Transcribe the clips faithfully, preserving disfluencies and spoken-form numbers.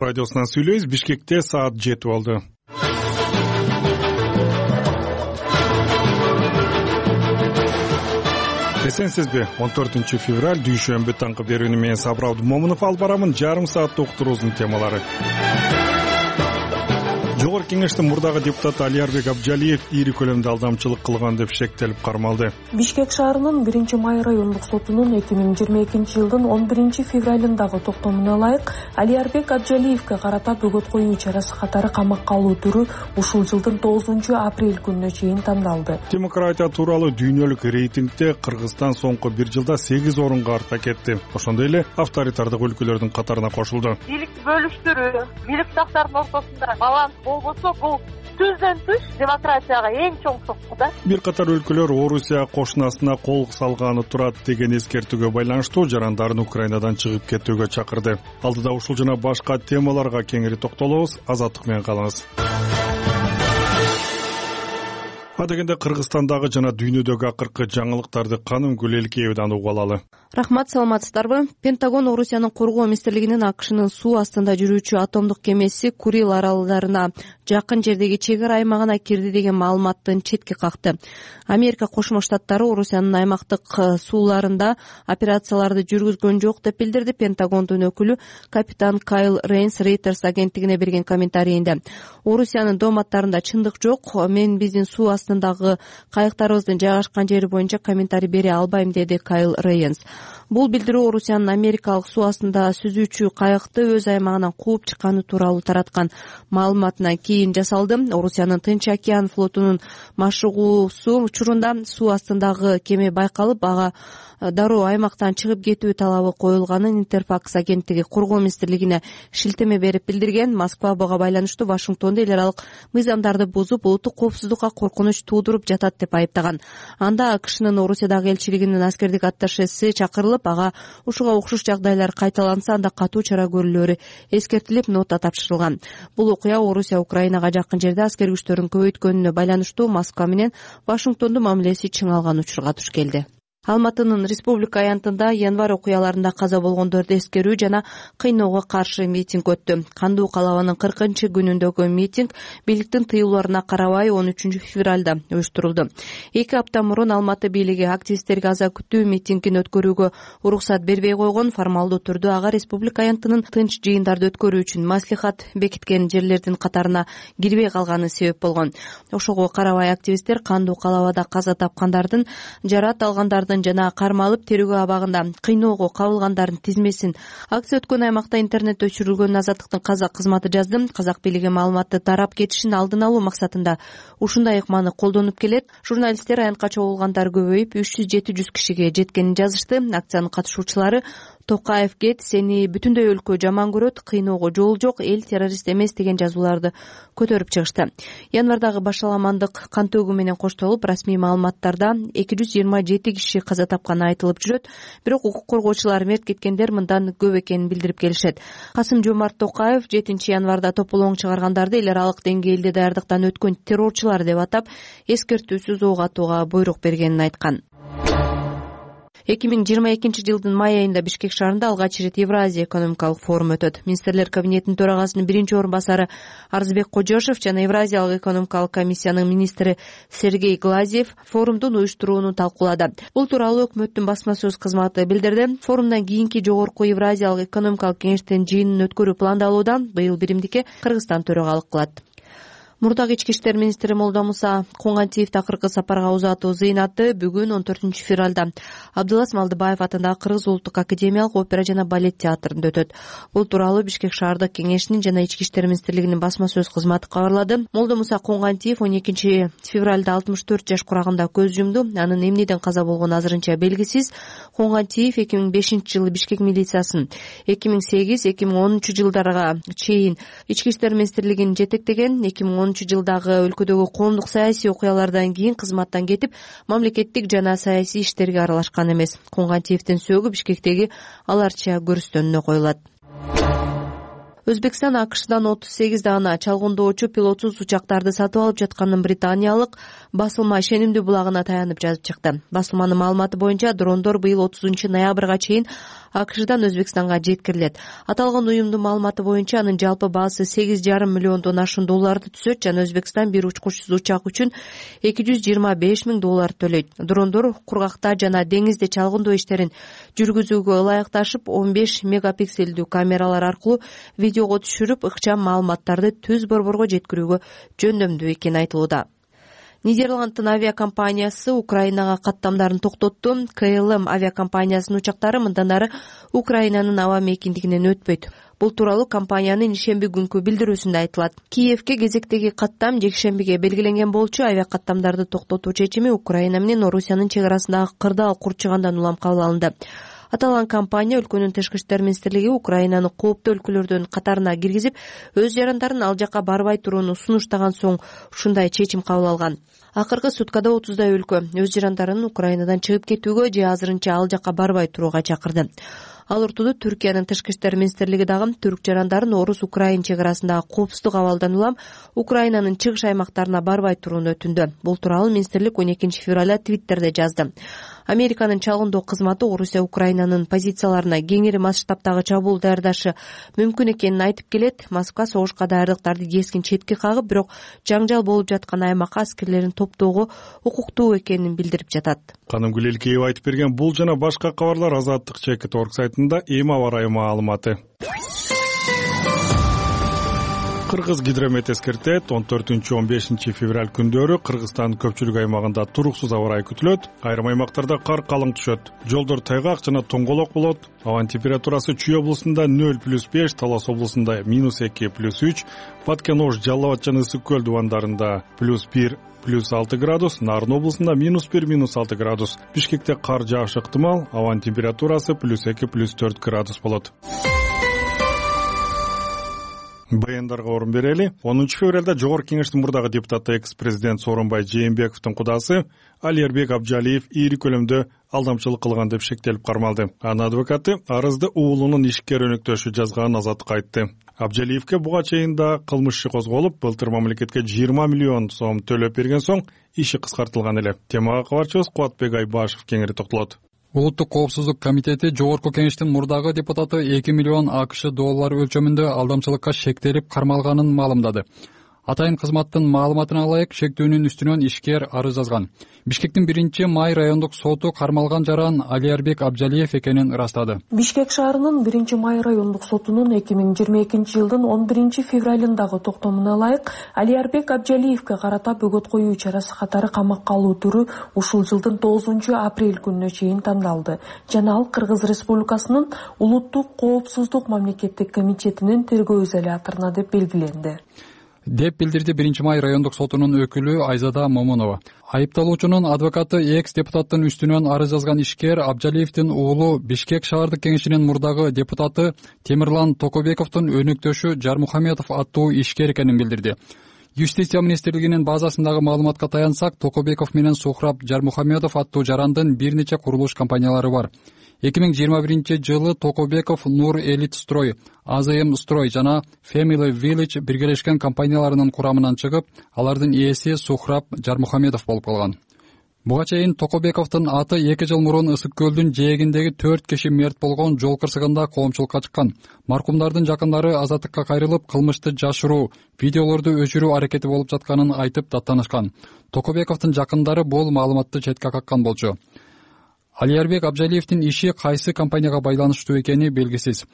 Радиосунан сүйлөйбүз. Бишкекте саат жети болду. Эсенсизби? он төртүнчү февраль дүйшөмбү таңкы берүүнү менен Сабыр Абдумомунов алып барамын. Жарым сааттык уктуруубуздун темалары. Жогорку Кеңештин мурдагы депутаты Алиярбек Абджалиев ири көлөмдө алдамчылык кылган деп шектелип кармалды. Бишкек шаарынын биринчи май райондук сотунун эки миң жыйырма экинчи жылдын он биринчи февралындагы токтомуна ылайык Алиярбек Абджалиевке карата бөгөт коюу чарасы катары камакка алуу түрү ушул жылдын тогузунчу апрель күнүнө чейин тандалды. Демократия тууралуу дүйнөлүк рейтингде Кыргызстан соңку бир жылда сегиз орунга арта кетти. Ошондой эле авторитардык өлкөлөрдүн катарына кошулду. Бийликти бөлүштүрүү, бийликташтардын ортосунда баланс болбосо бул түздөн түз демократияга эң чоң сокку да. Бир катар өлкөлөр Орусия кошунасына кол салганы турат деген эскертүүгө байланыштуу жарандарын Украинадан чыгып кетүүгө чакырды. Алдыда ушул жана башка темаларга кеңири токтолобуз. Азаттык менен калыңыз. Адегенде Кыргызстандагы жана дүйнөдөгү акыркы жаңылыктарды Каным Гүлелкеевден угуп алалы. Рахмат, саламатсыздарбы? Пентагон Орусиянын коргоо министрлигинин АКШнын суу астында жүрүүчү атомдук кемеси Курил аралдарына жакын жердеги чек ара аймагына кирди деген маалыматтын четке какты. Америка Кошмо Штаттары Орусиянын аймактык сууларында операцияларды жүргүзгөн жок деп билдирди. Пентагондун өкүлү капитан Кайл Рейнс Reuters агенттигине берген комментарийинде Орусиянын дооматтарында чындык жок. Мен биздин суу астындагы кайыктарыбыздын жайгашкан жери боюнча комментарий бере албайм, деди Кайл Рейнс. Бул билдирүү Орусиянын америкалык суу астында сүзүүчү кайыкты өз аймагынан кууп чыкканы тууралуу тараткан маалыматынан кийин жасалды. Орусиянын Тынч океан флотунун машыгуусу учурунда суу астындагы кеме байкалып, ага дароо аймактан чыгып кетүү талабы коюлганын Интерфакс агенттиги коргоо министрлигине шилтеме берип билдирген. Москва буга байланыштуу Вашингтонду эл аралык мыйзамдарды бузуп, улуттук коопсуздукка коркунуч туудуруп жатат деп айыптаган. Анда АКШнын Орусиядагы элчилигинин аскердик атташеси чакырылып, ага ушуга окшош жагдайлар кайталанса анда катуу чара көрүлөөрү эскертилип, нота тапшырылган. Бул окуя Орусия Украинага жакын жерде аскер күчтөрүн көбөйткөнүнө байланыштуу Москва менен Вашингтондун мамилеси чыңалган учурга туш келди. Алматынын республика аянтында январь окуяларында каза болгондорду эскерүү жана кыйноого каршы митинг өттү. Кандуу калабанын кыркынчы күнүндөгү митинг бийликтин тыюуларына карабай он үчүнчү февралда уюштурулду. Эки апта мурун Алматы бийлиги активисттерге аза күтүү митингин өткөрүүгө уруксат бербей койгон. Формалдуу түрдө ага республика аянтынын тынч жыйындарды өткөрүү үчүн маслихат бекиткен жерлердин катарына кирбей калганы себеп болгон. Ошого карабай активисттер кандуу калабада каза тапкандардын, жарат алгандардын жана кармалып терүүгө абагында кыйноого кабылгандардын тизмесин. Акция өткөн аймакта интернет өчүрүлгөн. Азаттыктын казак кызматы жазды. Казак бийлиги маалыматты тарап кетишин алдын алуу максатында ушундай ыкманы колдонуп келет. Журналисттер аянтка чогулгандар көбөйүп үч жүз жети жүз кишиге жеткенин жазышты. Акциянын катышуучулары Токаев кет, сени бүтүндөй өлкө жаман көрөт, кыйноого жол жок, эл террорист эмес деген жазууларды көтөрүп чыгышты. Январдагы башаламандык кан төгүү менен коштолуп, расмий маалыматтарда эки жүз жыйырма жети киши каза тапканы айтылып жүрөт. Бирок укук коргоочулар мерт кеткендер мындан көп экенин билдирип келишет. Касым-Жомарт Токаев жетинчи январда тополоң чыгаргандарды эл аралык деңгээлде даярдыктан өткөн террорчулар деп атап, эскертүүсүз ок атууга буйрук бергенин айткан. эки миң жыйырма экинчи жылдын май айында Бишкек шаарында алгач ирет Евразия экономикалык форум өтөт. Министрлер кабинетинин төрагасынын биринчи орун басары Арзбек Кожошев жана Евразиялык экономикалык комиссиянын министри Сергей Глазьев форумдун уюштурууну талкуулады. Бул тууралуу өкмөттүн басма сөз кызматы билдирди. Форумдан кийинки жогорку Евразиялык экономикалык кеңештин жыйынын өткөрүү пландалуудан быйыл биримдикке Кыргызстан төрагалык кылат. Мурдагы ички иштер министри Молдомуса Коңгантиев акыркы сапарга узатуу зыйнаты бүгүн он төртүнчү февралда Абдылас Малдыбаев атындагы Кыргыз улуттук академиялык опера жана балет театрында өтөт. Бул тууралуу Бишкек шаардык кеңешинин жана ички иштер министрлигинин басма сөз кызматы кабарлады. Молдомуса Коңгантиев он экинчи февралда алтымыш төрт жаш курагында көз жумду. Анын эмнеден каза болгону азырынча белгисиз. Коңгантиев эки миң бешинчи жылы Бишкек милициясын, эки миң сегиз эки миң онунчу жылдарга чейин ички иштер министрлигин жетектеген. эки миң онунчу жылдагы өлкөдөгү коомдук саясий окуялардан кийин кызматтан кетип, мамлекеттик жана саясий иштерге аралашкан эмес. Коңгантиевдин сөөгү Бишкектеги аларча көрүстөнүнө коюлат. Өзбекстан АКШдан отуз сегиз даана чалгындоочу пилотсуз учактарды сатып алып жатканын британиялык басылма ишенимдүү булагына таянып жазып чыкты. Басылманын маалыматы боюнча дрондор быйыл отузунчу ноябрга чейин АКШдан Өзбекстанга жеткирилет. Аталган уюмдун маалыматы боюнча анын жалпы баасы сегиз жарым миллиондон ашуун долларды түзөт жана Өзбекстан бир учкучсуз учак үчүн эки жүз жыйырма беш миң доллар төлөйт. Дрондор кургакта жана деңизде чалгындоо иштерин жүргүзүүгө ылайыкташып он беш мегапикселдүү камералар аркылуу видеого түшүрүп, ыкчам маалыматтарды түз борборго жеткирүүгө жөндөмдүү экени айтылууда. Нидерланддын авиакомпаниясы Украинага каттамдарын токтотту. КЛМ авиакомпаниясынын учактары мындан ары Украинанын аба мейкиндигинен өтпөйт. Бул тууралуу компаниянын ишемби күнкү билдирүүсүндө айтылат. Киевке кезектеги каттам жекшембиге белгиленген болчу. Авиакаттамдарды токтотуу чечими Украина менен Орусиянын чек арасындагы кырдаал курчугандан улам кабыл алынды. Аталган компания өлкөнүн тышкы иштер министрлиги Украинаны кооптуу өлкөлөрдүн катарына киргизип, өз жарандарын ал жакка барбай турууну сунуштаган соң ушундай чечим кабыл алган. Акыркы суткада отуздай өлкө өз жарандарын Украинадан чыгып кетүүгө же азырынча ал жакка барбай турууга чакырды. Ал ортодо Түркиянын тышкы иштер министрлиги дагы түрк жарандарын орус-украин чек арасындагы коопсуздук абалдан улам Украинанын чыгыш аймактарына барбай турууну өтүндү. Бул тууралуу министрлик он экинчи февралда Твиттерде жазды. Американын чалгындоо кызматы Орусия Украинанын позицияларына кеңири масштабтагы чабуул даярдашы мүмкүн экенин айтып келет. Москва согушка даярдыктарды кескин четке кагып, бирок жаңжал болуп жаткан аймакка аскерлерин топтоого укуктуу экенин билдирип жатат. Канымгүл Элкеева айтып берген бул жана башка кабарлар Азаттык чекит орг сайтында эми аба ырайы маалыматы. Кыргыз гидромет эскертет, он төртүнчү он бешинчи февраль күндөрү Кыргызстандын көпчүлүк аймагында туруксуз аба ырайы күтүлөт. Айрым аймактарда кар калың түшөт. Жолдор тайгак жана тоңголок болот. Абанын температурасы Чүй облусунда нөл плюс беш, Талас облусунда минус эки плюс үч, Баткен-Ош, Жалал Абад жана Ысык көл дубандарында плюс бир плюс алты градус, Нарын облусунда минус бир минус алты градус. Бишкекте кар жаашы ыктымал, абанын температурасы плюс эки плюс төрт градус болот. Баяндарга орун берели. онунчу февралда Жогорку Кеңештин мурдагы депутаты экс-президент Сооронбай Жээнбековдун кудасы Алиербек Абжалиев ийри көлөмдө алдамчылык кылган деп шектелип кармалды. Анын адвокаты арызды уулунун ишкер өнөктөшү жазганын Азаттыкка айтты. Абжалиевке буга чейин да кылмыш иши козголуп, былтыр мамлекетке жыйырма миллион сом төлөп берген соң иши кыскартылган эле. Темага кабарчыбыз Кубатбек Айбашев кеңири токтолот. Улуттук коопсуздук комитети Жогорку Кеңештин мурдагы депутаты эки миллион АКШ доллары өлчөмүндө алдамчылыкка шектелип кармалганын маалымдады. Атайын кызматтын маалыматына ылайык шектүүнүн үстүнөн ишкер арыз жазган. Бишкектин биринчи май райондук соту кармалган жаран Алиербек Абжалиев экенин ырастады. Бишкек шаарынын биринчи май райондук сотунун эки миң жыйырма экинчи жылдын он биринчи февралындагы токтомуна ылайык Алиербек Абжалиевке карата бөгөт коюу чарасы катары камакка алуу түрү ушул жылдын тогузунчу апрель күнүнө чейин тандалды жана ал Кыргыз Республикасынын улуттук коопсуздук мамлекеттик комитетинин тергөө изоляторуна деп белгиленди деп билдирди биринчи май райондук сотунун өкүлү Айзада Момунова. Айыпталуучунун адвокаты экс депутаттын үстүнөн арыз жазган ишкер Абжалиевдин уулу Бишкек шаардык кеңешинин мурдагы депутаты Темирлан Токобековдун өнөктөшү Жармухамедов аттуу ишкер экенин билдирди. Юстиция министрлигинин базасындагы маалыматка таянсак, Токобеков менен Сухраб Жармухамедов аттуу жарандын бир нече курулуш компаниялары бар. эки миң жыйырма биринчи жылы Токобеков Нур Элит Строй, АЗМ Строй жана Family Village биргелешкен компанияларынын курамынан чыгып, алардын ээси Сухраб Жармухамедов болуп калган. Буга чейин Токобековдун аты эки жыл мурун Ысык көлдүн жээгиндеги төрт киши мерт болгон жол кырсыгында коомчулукка чыккан. Маркумдардын жакындары Азаттыкка кайрылып, кылмышты жашыруу, видеолорду өчүрүү аракети болуп жатканын айтып даттанышкан. Токобековдун жакындары бул маалыматты четке каккан болчу. Алиербек Абжалиевдин иши кайсы компанияга байланыштуу экени белгисиз.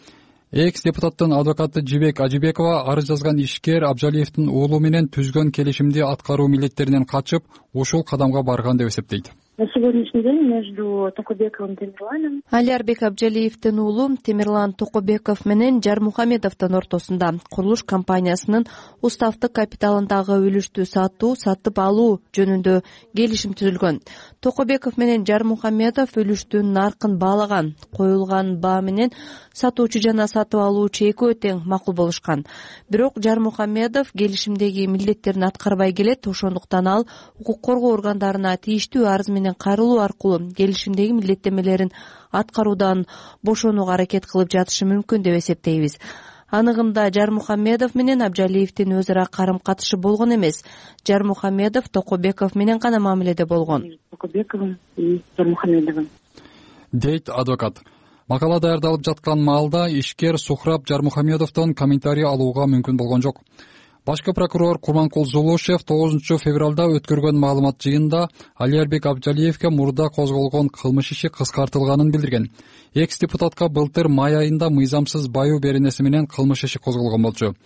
Экс депутаттын адвокаты Жибек Ажибекова арыз жазган ишкер Абжалиевдин уулу менен түзгөн келишимди аткаруу милдеттеринен качып, ушул кадамга барган деп эсептейт. На сегодняшний день между Токобековым и Темирланом Алиербек Абжалиевдин уулу Темирлан Токобеков менен Жармухамедовдун ортосунда курулуш компаниясынын уставдык капиталындагы үлүштү сатуу, сатып алуу жөнүндө келишим түзүлгөн. Токобеков менен Жармухамедов үлүштүн наркын баалаган, коюлган баа менен сатуучу жана сатып алуучу экөө тең макул болушкан. Бирок Жармухамедов келишимдеги милдеттерин аткарбай келет, ошондуктан ал укук коргоо органдарына тийиштүү арыз менен кайрылуу аркылуу келишимдеги милдеттемелерин аткаруудан бошонууга аракет кылып жатышы мүмкүн деп эсептейбиз. Аныгында Жармухамедов менен Абджалиевдин өз ара карым катышы болгон эмес. Жармухамедов Токобеков менен гана мамиледе болгон. Токобековым и Жармухамедовым, дейт адвокат. Макала даярдалып жаткан маалда ишкер Сухраб Жармухамедовдон комментарий алууга мүмкүн болгон жок. Башкы прокурор Курманкул Зулушев тогузунчу февралда өткөргөн маалымат жыйынында Алиярбек Абджалиевге мурда козголгон кылмыш иши кыскартылганын билдирген. Экс депутатка былтыр май айында мыйзамсыз баюу беренеси менен кылмыш иши козголгон болчу.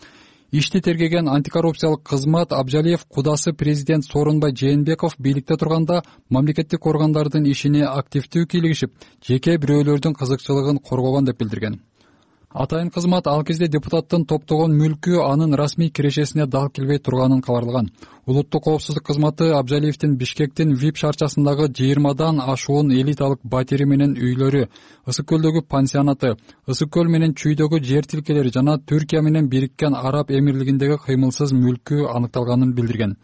Ишти тергеген антикоррупциялык кызмат Абджалиев кудасы президент Сооронбай Жээнбеков бийликте турганда мамлекеттик органдардын ишине активдүү кийлигишип, жеке бирөөлөрдүн кызыкчылыгын коргогон деп билдирген. Атайын кызмат ал кезде депутаттын топтогон мүлкү анын расмий кирешесине дал келбей турганын кабарлаган. Улуттук коопсуздук кызматы Абджалиевдин Бишкектин вип шаарчасындагы жыйырмадан ашуун элиталык батири менен үйлөрү, Ысык көлдөгү пансионаты, Ысык көл менен Чүйдөгү жер тилкелери жана Түркия менен Бириккен Араб Эмирлигиндеги кыймылсыз мүлкү аныкталганын билдирген.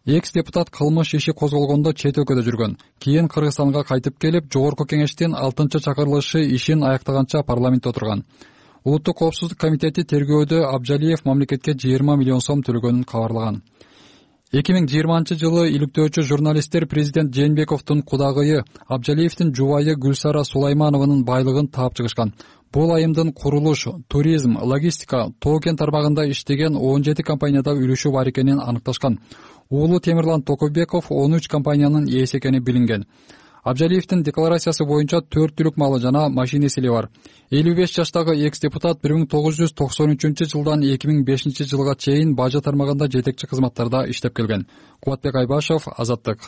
Экс депутат кылмыш иши козголгондо чет өлкөдө жүргөн. Кийин Кыргызстанга кайтып келип, Жогорку Кеңештин алтынчы чакырылышы ишин аяктаганча парламентте отурган. Улуттук коопсуздук комитети тергөөдө Абджалиев мамлекетке жыйырма миллион сом төлөгөнүн кабарлаган. эки миң жыйырманчы жылы иликтөөчү журналисттер президент Жээнбековдун кудагыйы Абджалиевдин жубайы Гүлсара Сулайманованын байлыгын таап чыгышкан. Бул айымдын курулуш, туризм, логистика, тоо кен тармагында иштеген он жети компанияда үлүшү бар экенин аныкташкан. Уулу Темирлан Токобеков он үч компаниянын ээси экени билинген. Абджалиевдин декларациясы боюнча төрт түлүк малы жана машинеси бар. элүү беш жаштагы экс депутат бир миң тогуз жүз токсон үчүнчү жылдан эки миң бешинчи жылга чейин бажы тармагында жетекчи кызматтарда иштеп келген. Кубатбек Айбашев, Азаттык.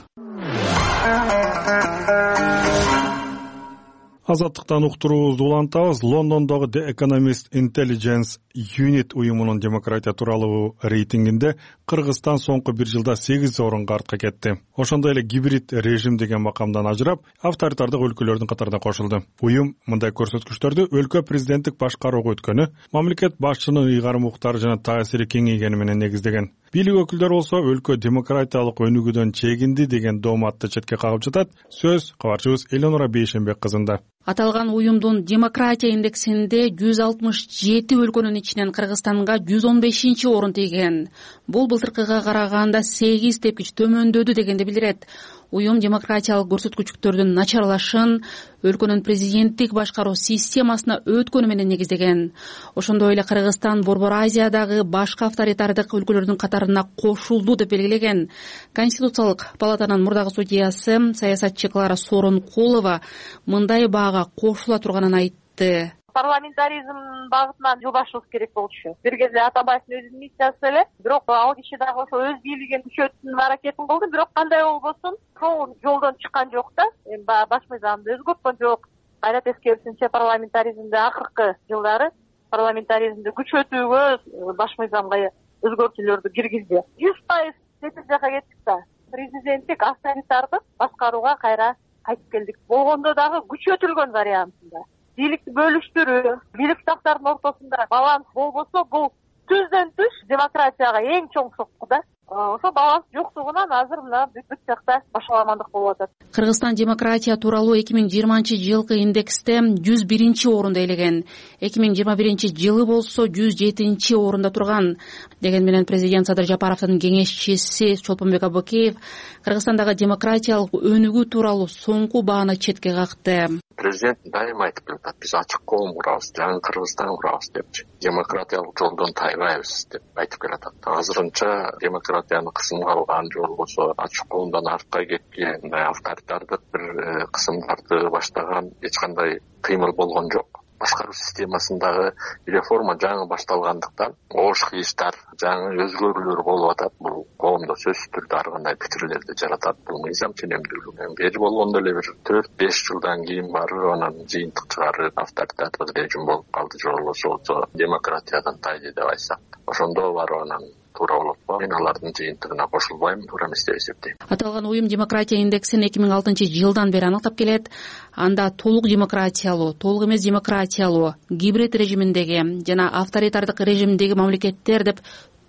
Азаттыктан уктуруубузду улантабыз. Лондондогу The Economist Intelligence Unit уюмунун демократия тууралуу рейтингинде Кыргызстан соңку бир жылда сегиз орунга артка кетти. Ошондой эле гибрид режим деген макамдан ажырап, авторитардык өлкөлөрдүн катарына кошулду. Уюм мындай көрсөткүчтөрдү өлкө президенттик башкарууга өткөнү, мамлекет башчынын ыйгарым укуктары жана таасири кеңейгени менен негиздеген. Бийлик өкүлдөрү болсо өлкө демократиялык өнүгүүдөн чегинди деген дооматты четке кагып жатат. Сөз кабарчыбыз Эленора Бейшенбек кызында. Аталган уюмдун демократия индексинде жүз алтымыш жети өлкөнүн ичинен Кыргызстанга жүз он бешинчи орун тийген. Бул былтыркыга караганда сегиз тепкич төмөндөдү дегенди билдирет. Уюм демократиялык көрсөткүчтөрдүн начарлашын өлкөнүн президенттик башкаруу системасына өткөнү менен негиздеген. Ошондой эле Кыргызстан Борбор Азиядагы башка авторитардык өлкөлөрдүн катарына кошулду деп белгилеген. Конституциялык палатанын мурдагы судьясы саясатчы Клара Сооронкулова мындай баага кошула турганын айтты. Парламентаризм багытынан жылбашыбыз керек болчу. Бир кезде Атамбаевдин өзүнүн миссиясы эле, бирок ал киши дагы ошо өз бийлигин күчөтүүнүн аракетин кылды, бирок кандай болбосун, сол жолдон чыккан жок да. Эми баш мыйзамды өзгөрткөн жок. Кайра тескерисинче парламентаризмде акыркы жылдары парламентаризмди күчөтүүгө баш мыйзамга өзгөртүүлөрдү киргизди. жүз пайыз чети жака кеттик да. Президенттик авторитардык башкарууга кайра кайтып келдик. Болгондо дагы күчөтүлгөн вариантында. Бийликти бөлүштүрүү, бийликташтардын ортосунда баланс болбосо, бул түздөн түз демократияга эң чоң сокку да. Ошо баланс жоктугунан азыр мына бүт жакта башаламандык болуп атат. Кыргызстан демократия тууралуу эки миң жыйырманчы жылкы индексте жүз биринчи орунду ээлеген. эки миң жыйырма биринчи жылы болсо жүз жетинчи орунда турган. Деген менен президент Садыр Жапаровдун кеңешчиси Чолпонбек Абыкеев Кыргызстандагы демократиялык өнүгүү тууралуу соңку бааны четке какты. Президент дайыма айтып келатат, биз ачык коом курабыз, жаңы Кыргызстан курабыз депчи. Демократиялык жолдон тайбайбыз деп айтып келатат. Азырынча демократияны кысымга алган жол болсо, ачык коомдон артка кеткен, мындай авторитардык бир кысымдарды баштаган эч кандай кыймыл болгон жок. Башкаруу системасындагы реформа жаңы башталгандыктан оош кыйыштар, жаңы өзгөрүүлөр болуп атат. Бул коомдо сөзсүз түрдө ар кандай пикирлерди жаратат. Бул мыйзам ченемдүүлүгү. Бери болгондо эле бир төрт беш жылдан кийин барып анан жыйынтык чыгарып авторитардык режим болуп калды же болбосо демократиядан тайды деп айтсак, ошондо барып анан туура болот го. Мен алардын жыйынтыгына кошулбайм, туура эмес деп эсептейм. Аталган уюм демократия индексин эки миң алтынчы жылдан бери аныктап келет. Анда толук демократиялуу, толук эмес демократиялуу, гибрид режиминдеги жана авторитардык режимдеги мамлекеттер деп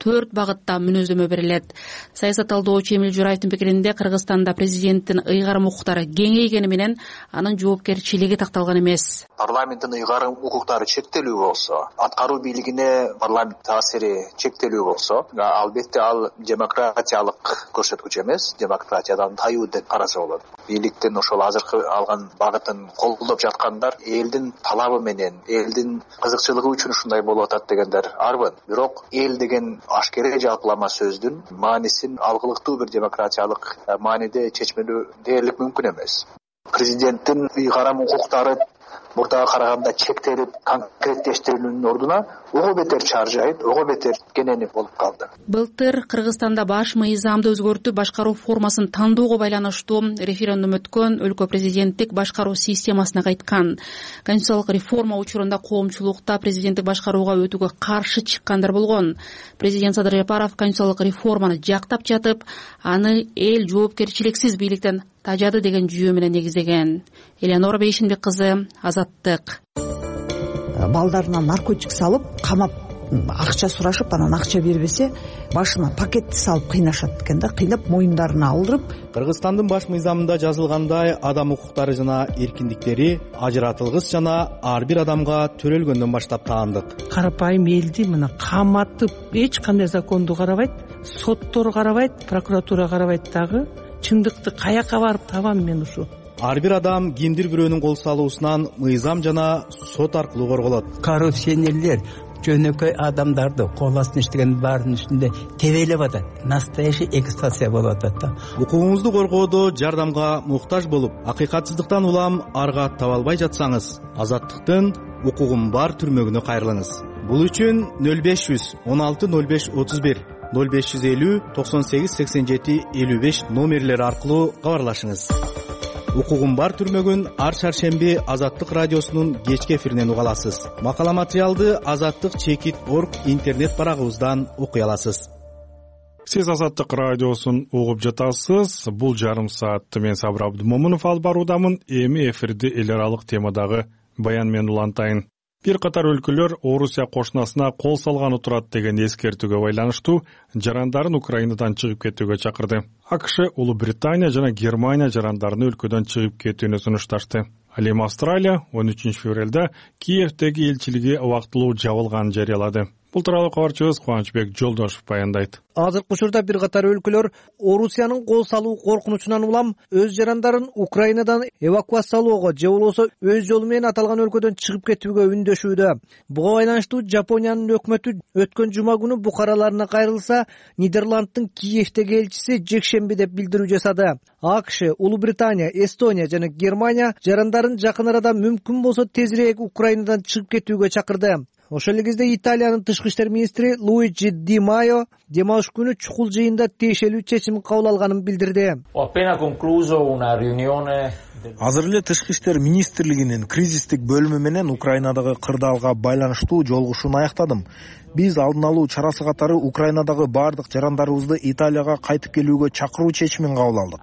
төрт багытта мүнөздөмө берилет. Саясат талдоочу Эмил Жураевдин пикиринде, Кыргызстанда президенттин ыйгарым укуктары кеңейгени менен анын жоопкерчилиги такталган эмес. Парламенттин ыйгарым укуктары чектелүү болсо, аткаруу бийлигине парламент таасири чектелүү болсо, албетте ал демократиялык көрсөткүч эмес, демократиядан таюу деп караса болот. Бийликтин ошол азыркы алган багытын колдоп жаткандар элдин талабы менен, элдин кызыкчылыгы үчүн ушундай болуп атат дегендер арбын. Бирок эл деген ашкере жалпылама сөздүн маанисин алгылыктуу бир демократиялык мааниде чечмелөө дээрлик мүмкүн эмес. Президенттин ыйгарым укуктары мурдага караганда чектелип конкреттештирүүнүн ордуна ого бетер чаржайып, ого бетер кененип болуп калды. Былтыр Кыргызстанда баш мыйзамды өзгөртүп башкаруу формасын тандоого байланыштуу референдум өткөн өлкө президенттик башкаруу системасына кайткан. Конституциялык реформа учурунда коомчулукта президенттик башкарууга өтүүгө каршы чыккандар болгон. Президент Садыр Жапаров конституциялык реформаны жактап жатып, аны эл жоопкерчиликсиз бийликтен тажады деген жүйө менен негиздеген. Элеонора Бейшинбек кызы, Азаттык. Балдарына наркотик салып, камап, акча сурашып, анан акча бербесе, башына пакетти салып кыйнашат экен да, кыйнап моюндарына алдырып. Кыргызстандын баш мыйзамында жазылгандай, адам укуктары жана эркиндиктери ажыратылгыс жана ар бир адамга төрөлгөндөн баштап таандык. Карапайым элди мына каматып, эч кандай законду карабайт, соттор карабайт, прокуратура карабайт дагы. Чындыкты каяка барып табам мен ушу? Ар бир адам кимдир бирөөнүн кол салуусунан мыйзам жана сот аркылуу корголот. Коррупционерлер жөнөкөй адамдарды кол астына иштеген баардын үстүндө тебелеп атат. Настоящий эксплуатация болуп атат да. Укугуңузду коргоодо жардамга муктаж болуп, акыйкатсыздыктан улам арга таба албай жатсаңыз, Азаттыктын укугум бар түрмөгүнө кайрылыңыз. Бул үчүн нөл беш жүз он алты нөл беш отуз бир нөл беш жүз элүү токсон сегиз сексен жети элүү беш номерлери аркылуу кабарлашыңыз. Укугум бар түрмөгүн ар шаршемби Азаттык радиосунун кечки эфиринен уга аласыз. Макала материалды азаттык чекит точка орг интернет барагыбыздан окуй аласыз. Сиз Азаттык радиосун угуп жатасыз. Бул жарым саатты мен Сабыр Абдымомунов алып баруудамын. Эми эфирди эл аралык темадагы баян менен улантайын. Бир катар өлкөлөр Орусия кошунасына кол салганы турат деген эскертүүгө байланыштуу жарандарын Украинадан чыгып кетүүгө чакырды. АКШ, Улуу Британия жана Германия жарандарын өлкөдөн чыгып кетүүнү сунушташты. Ал эми Австралия он үчүнчү февралда Киевдеги элчилиги убактылуу жабылганын жарыялады. Бул тууралуу кабарчыбыз Кубанычбек Жолдошев баяндайт. Азыркы учурда бир катар өлкөлөр Орусиянын кол салуу коркунучунан улам өз жарандарын Украинадан эвакуациялоого же болбосо өз жолу менен аталган өлкөдөн чыгып кетүүгө үндөшүүдө. Буга байланыштуу Жапониянын өкмөтү өткөн жума күнү букараларына кайрылса, Нидерланддын Киевдеги элчиси жекшемби деп билдирүү жасады. АКШ, Улуу Британия, Эстония жана Германия жарандарын жакын арада мүмкүн болсо тезирээк Украинадан чыгып кетүүгө чакырды. Ошол эле кезде Италиянын тышкы иштер министри Луиджи Ди Майо дем алыш күнү чукул жыйында тиешелүү чечим кабыл алганын билдирди. Азыр эле тышкы иштер министрлигинин кризистик бөлүмү менен Украинадагы кырдаалга байланыштуу жолугушууну аяктадым. Биз алдын алуу чарасы катары Украинадагы бардык жарандарыбызды Италияга кайтып келүүгө чакыруу чечимин кабыл алдык.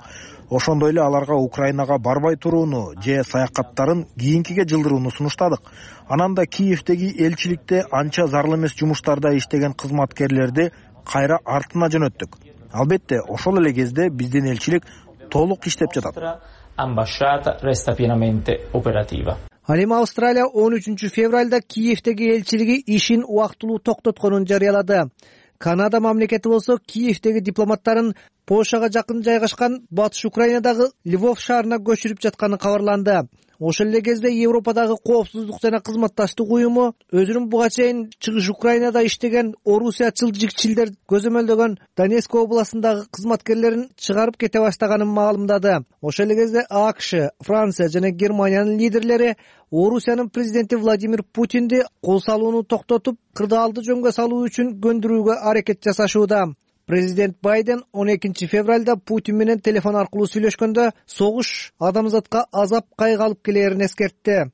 Ошондой эле аларга Украинага барбай турууну же саякаттарын кийинкиге жылдырууну сунуштадык. Анан да Киевдеги элчиликте анча зарыл эмес жумуштарда иштеген кызматкерлерди кайра артына жөнөттүк. Албетте, ошол эле кезде биздин элчилик толук иштеп жатат. Ambasciata resta pienamente operativa. Ал эми Австралия он үчүнчү февралда Киевдеги элчилиги ишин убактылуу токтотконун жарыялады. Канада мамлекети болсо Киевдеги дипломаттарын Польшага жакын жайгашкан Батыш Украинадагы Львов шаарына көчүрүп жатканы кабарланды. Ошол эле кезде Европадагы коопсуздук жана кызматташтык уюму өзүнүн буга чейин чыгыш Украинада иштеген орусиячыл жигчилдер көзөмөлдөгөн Донецк областындагы кызматкерлерин чыгарып кете баштаганын маалымдады. Ошол эле кезде АКШ, Франция жана Германиянын лидерлери Орусиянын президенти Владимир Путинди кол салууну токтотуп, кырдаалды жөнгө салуу үчүн көндүрүүгө аракет жасашууда. Президент Байден он экинчи февралда Путин менен телефон аркылуу сүйлөшкөндө согуш адамзатка азап кайгы алып келерин эскертти.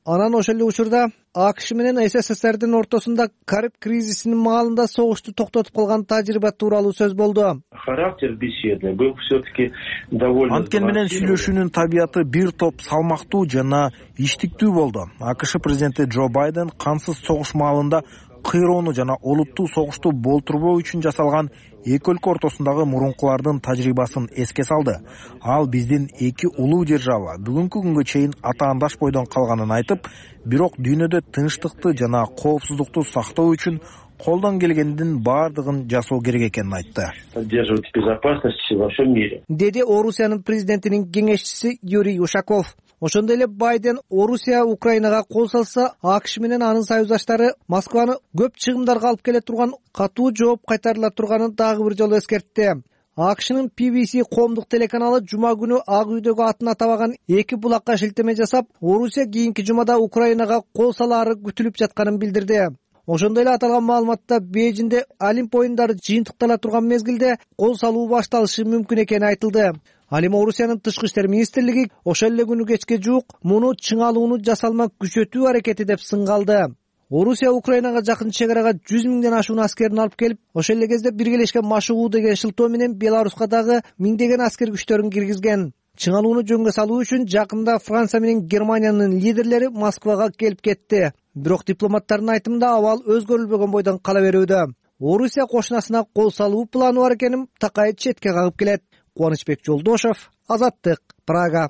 Анан ошол эле учурда АКШ менен СССРдин ортосунда Кариб кризисинин маалында согушту токтотуп калган тажрыйба тууралуу сөз болду. Характер беседы был все-таки довольно. Анткени менен сүйлөшүүнүн табияты бир топ салмактуу жана иштиктүү болду. АКШ президенти Джо Байден кансыз согуш маалында кыйроону жана олуттуу согушту болтурбоо үчүн жасалган эки өлкө ортосундагы мурункулардын тажрыйбасын эске салды. Ал биздин эки улуу держава бүгүнкү күнгө чейин атаандаш бойдон калганын айтып, бирок дүйнөдө тынчтыкты жана коопсуздукту сактоо үчүн колдон келгендин баардыгын жасоо керек экенин айтты. Поддерживать безопасность во всем мире, деди Орусиянын президентинин кеңешчиси Юрий Ушаков. Ошондой эле Байден Орусия Украинага кол салса, АКШ менен анын союздаштары Москваны көп чыгымдарга алып келе турган катуу жооп кайтарыла турганын дагы бир жолу эскертти. АКШнын P B C коомдук телеканалы жума күнү Ак үйдөгү атын атабаган эки булакка шилтеме жасап, Орусия кийинки жумада Украинага кол салаары күтүлүп жатканын билдирди. Ошондой эле аталган маалыматта Бейжиңде Олимп оюндары жыйынтыктала турган мезгилде кол салуу башталышы мүмкүн экени айтылды. Ал эми Орусиянын тышкы иштер министрлиги ошол эле күнү кечке жуук муну чыңалууну жасалма күчөтүү аракети деп сынгалды. Орусия Украинага жакын чек арага жүз миңден ашуун аскерин алып келип, ошол эле кезде биргелешкен машыгуу деген шылтоо менен Беларуска дагы миңдеген аскер күчтөрүн киргизген. Чыңалууну жөнгө салуу үчүн жакында Франция менен Германиянын лидерлери Москвага келип кетти. Бирок дипломаттардын айтымында абал өзгөрүлбөгөн бойдон кала берүүдө. Орусия кошунасына кол салуу планы бар экенин такай четке кагып келет. Кубанычбек Жолдошев, Азаттык, Прага.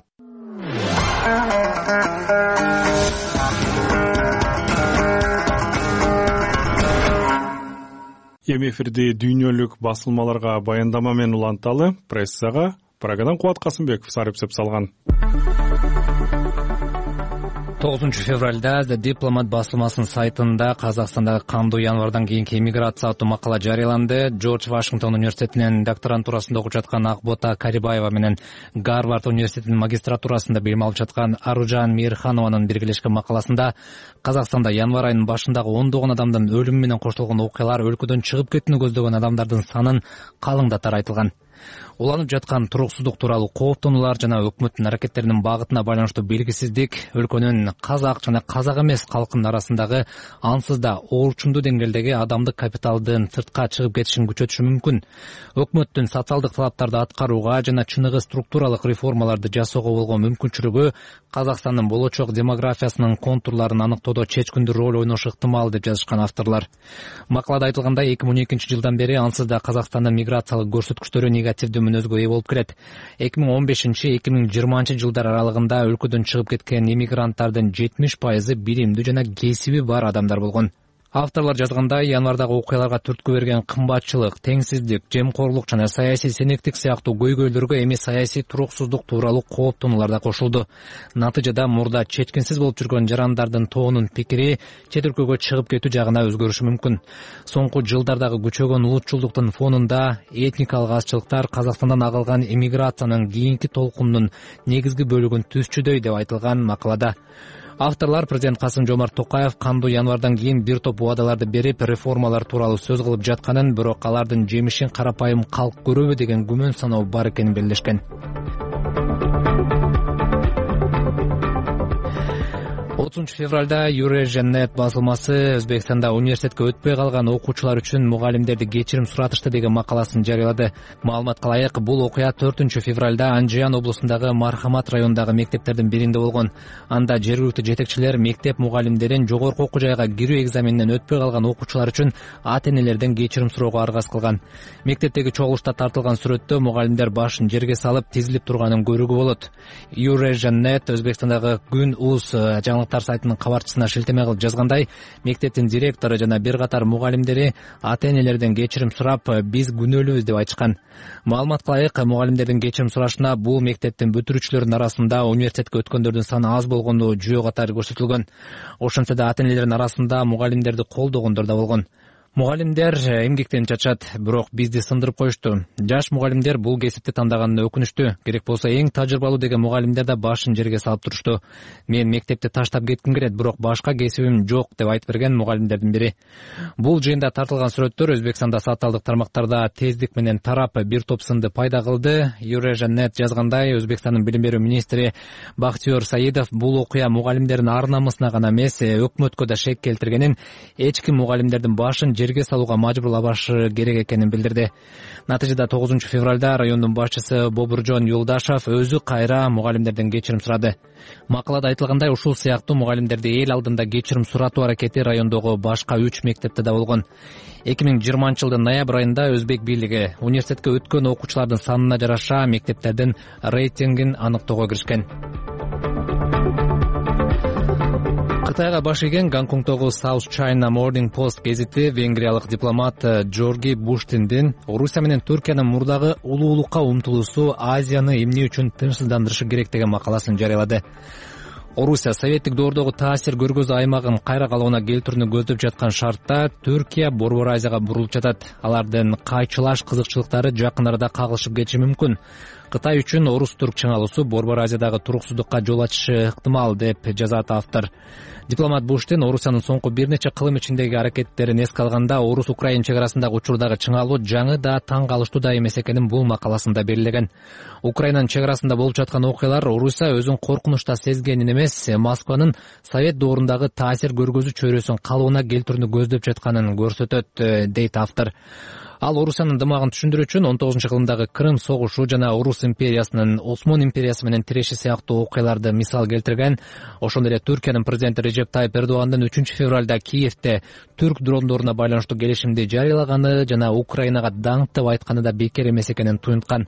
Эми эфирде дүйнөлүк басылмаларга баяндама менен уланталы прессага Прагадан Кубат Касымбеков сарыпсеп салган. тогузунчу февралда The Diplomat басылмасынын сайтында Казакстандагы кандуу январдан кийинки эмиграция аттуу макала жарыяланды. Джордж Вашингтон университетинин докторантурасында окуп жаткан Акбота Карибаева менен Гарвард университетинин магистратурасында билим алып жаткан Аружан Мейирханованын биргелешкен макаласында Казакстанда январь айынын башындагы ондогон адамдын өлүмү менен коштолгон окуялар өлкөдөн чыгып кетүүнү көздөгөн адамдардын санын калыңдатары айтылган. Уланып жаткан туруксуздук тууралуу кооптонуулар жана өкмөттүн аракеттеринин багытына байланыштуу белгисиздик өлкөнүн казак жана казак эмес калкынын арасындагы ансыз да оорчундуу деңгээлдеги адамдык капиталдын сыртка чыгып кетишин күчөтүшү мүмкүн. Өкмөттүн социалдык талаптарды аткарууга жана чыныгы структуралык реформаларды жасоого болгон мүмкүнчүлүгү Казакстандын болочок демографиясынын контурларын аныктоодо чечкиндүү роль ойношу ыктымал деп жазышкан авторлор. Макалада айтылгандай, эки миң он экинчи жылдан бери ансыз да Казакстандын миграциялык көрсөткүчтөрү негативдүү мүнөзгө ээ болуп келет. эки миң он бешинчи эки миң жыйырманчы жылдар аралыгында өлкөдөн чыгып кеткен эмигранттардын жетимиш пайызы билимдүү жана кесиби бар адамдар болгон. Авторлор жазгандай, январдагы окуяларга түрткү берген кымбатчылык, теңсиздик, жемкорлук жана саясий сенектик сыяктуу көйгөйлөргө эми саясий туруксуздук тууралуу кооптонуулар да кошулду. Натыйжада мурда чечкинсиз болуп жүргөн жарандардын тоонун пикири чет өлкөгө чыгып кетүү жагына өзгөрүшү мүмкүн. Соңку жылдардагы күчөгөн улутчулдуктун фонунда этникалык азчылыктар Казакстандан агылган эмиграциянын кийинки толкунунун негизги бөлүгүн түзчүдөй деп айтылган макалада. Авторлор президент Касым-Жомарт Токаев кандуу январдан кийин бир топ убадаларды берип, реформалар тууралуу сөз кылып жатканын, бирок алардын жемишин карапайым калк көрөбү деген күмөн саноо бар экенин белгилешкен. отузунчу февралда Юреженет басылмасы Өзбекстанда университетке өтпөй калган окуучулар үчүн мугалимдерди кечирим суратышты деген макаласын жарыялады. Маалыматка ылайык, бул окуя төртүнчү февралда Анжиян облусундагы Мархамат районундагы мектептердин биринде болгон. Анда жергиликтүү жетекчилер мектеп мугалимдерин жогорку окуу жайга кирүү экзаменинен өтпөй калган окуучулар үчүн ата-энелерден кечирим суроого аргасыз кылган. Мектептеги чогулушта тартылган сүрөттө мугалимдер башын жерге салып тизилип турганын көрүүгө болот. Юреженет Өзбекстандагы Күн Уз жаңылыктар сайтынын кабарчысына шилтеме кылып жазгандай, мектептин директору жана бир катар мугалимдери ата-энелерден кечирим сурап, биз күнөөлүүбүз деп айтышкан. Маалыматка ылайык, мугалимдердин кечирим сурашына бул мектептин бүтүрүүчүлөрүнүн арасында университетке өткөндөрдүн саны аз болгону жүйө катары көрсөтүлгөн. Ошентсе да ата-энелердин арасында мугалимдерди колдогондор да болгон. Мугалимдер эмгектен чачат, бирок бизди сындырып коюшту. Жаш мугалимдер бул кесипти тандаганына өкүнүштүү. Керек болсо эң тажрыйбалуу деген мугалимдер да башын жерге салып турушту. Мен мектепти таштап кетким келет, бирок башка кесибим жок деп айтып берген мугалимдердин бири. Бул жыйында тартылган сүрөттөр Өзбекстанда социалдык тармактарда тездик менен тарап бир топ сынды пайда кылды. Юреженет жазгандай, Өзбекстандын билим берүү министри Бахтиёр Саидов бул окуя мугалимдердин ар намысына гана эмес, өкмөткө да шек келтиргенин, эч ким мугалимдердин башын жерге салууга мажбурлабашы керек экенин билдирди. Натыйжада тогузунчу февралда райондун башчысы Бобуржон Юлдашев өзү кайра мугалимдерден кечирим сурады. Макалада айтылгандай, ушул сыяктуу мугалимдерди эл алдында кечирим суратуу аракети райондогу башка үч мектепте да болгон. эки миң жыйырманчы жылдын ноябрь айында өзбек бийлиги университетке өткөн окуучулардын санына жараша мектептердин рейтингин аныктоого киришкен. Кытайга баш ийген Гонконгдогу South China Morning Post гезити венгриялык дипломат Джорги Буштиндин Орусия менен Түркиянын мурдагы улуулукка умтулуусу Азияны эмне үчүн тынчсыздандырышы керек деген макаласын жарыялады. Орусия советтик доордогу таасир көргөзүү аймагын кайра калыбына келтирүүнү көздөп жаткан шартта Түркия Борбор Азияга бурулуп жатат. Алардын кайчылаш кызыкчылыктары жакын арада кагылышып кетиши мүмкүн. Кытай үчүн орус-түрк чыңалуусу Борбор Азиядагы туруктуулукка жол ачышы ыктымал деп жазат автор. Дипломат Буштин Орусиянын соңку бир нече кылым ичиндеги аракеттерин эске алганда орус-украин чек арасындагы учурдагы чыңалуу жаңы да таң калыштуу да эмес экенин бул макаласында белгилеген. Украинанын чек арасында болуп жаткан окуялар Орусия өзүн коркунучта сезгенин эмес, Москванын совет доорундагы таасир көргөзүү чөйрөсүн калыбына келтирүүнү көздөп жатканын көрсөтөт, дейт автор. Ал Орусиянын дымагын түшүндүрүү үчүн он тогузунчу кылымдагы Крым согушу жана Орус империясынын Осмон империясы менен тиреши сыяктуу окуяларды мисал келтирген. Ошондой эле Түркиянын президенти Режеп Тайып Эрдогандын үчүнчү февралда Киевте түрк дрондоруна байланыштуу келишимди жарыялаганы жана Украинага даңктып айтканы да бекер эмес экенин туюнткан.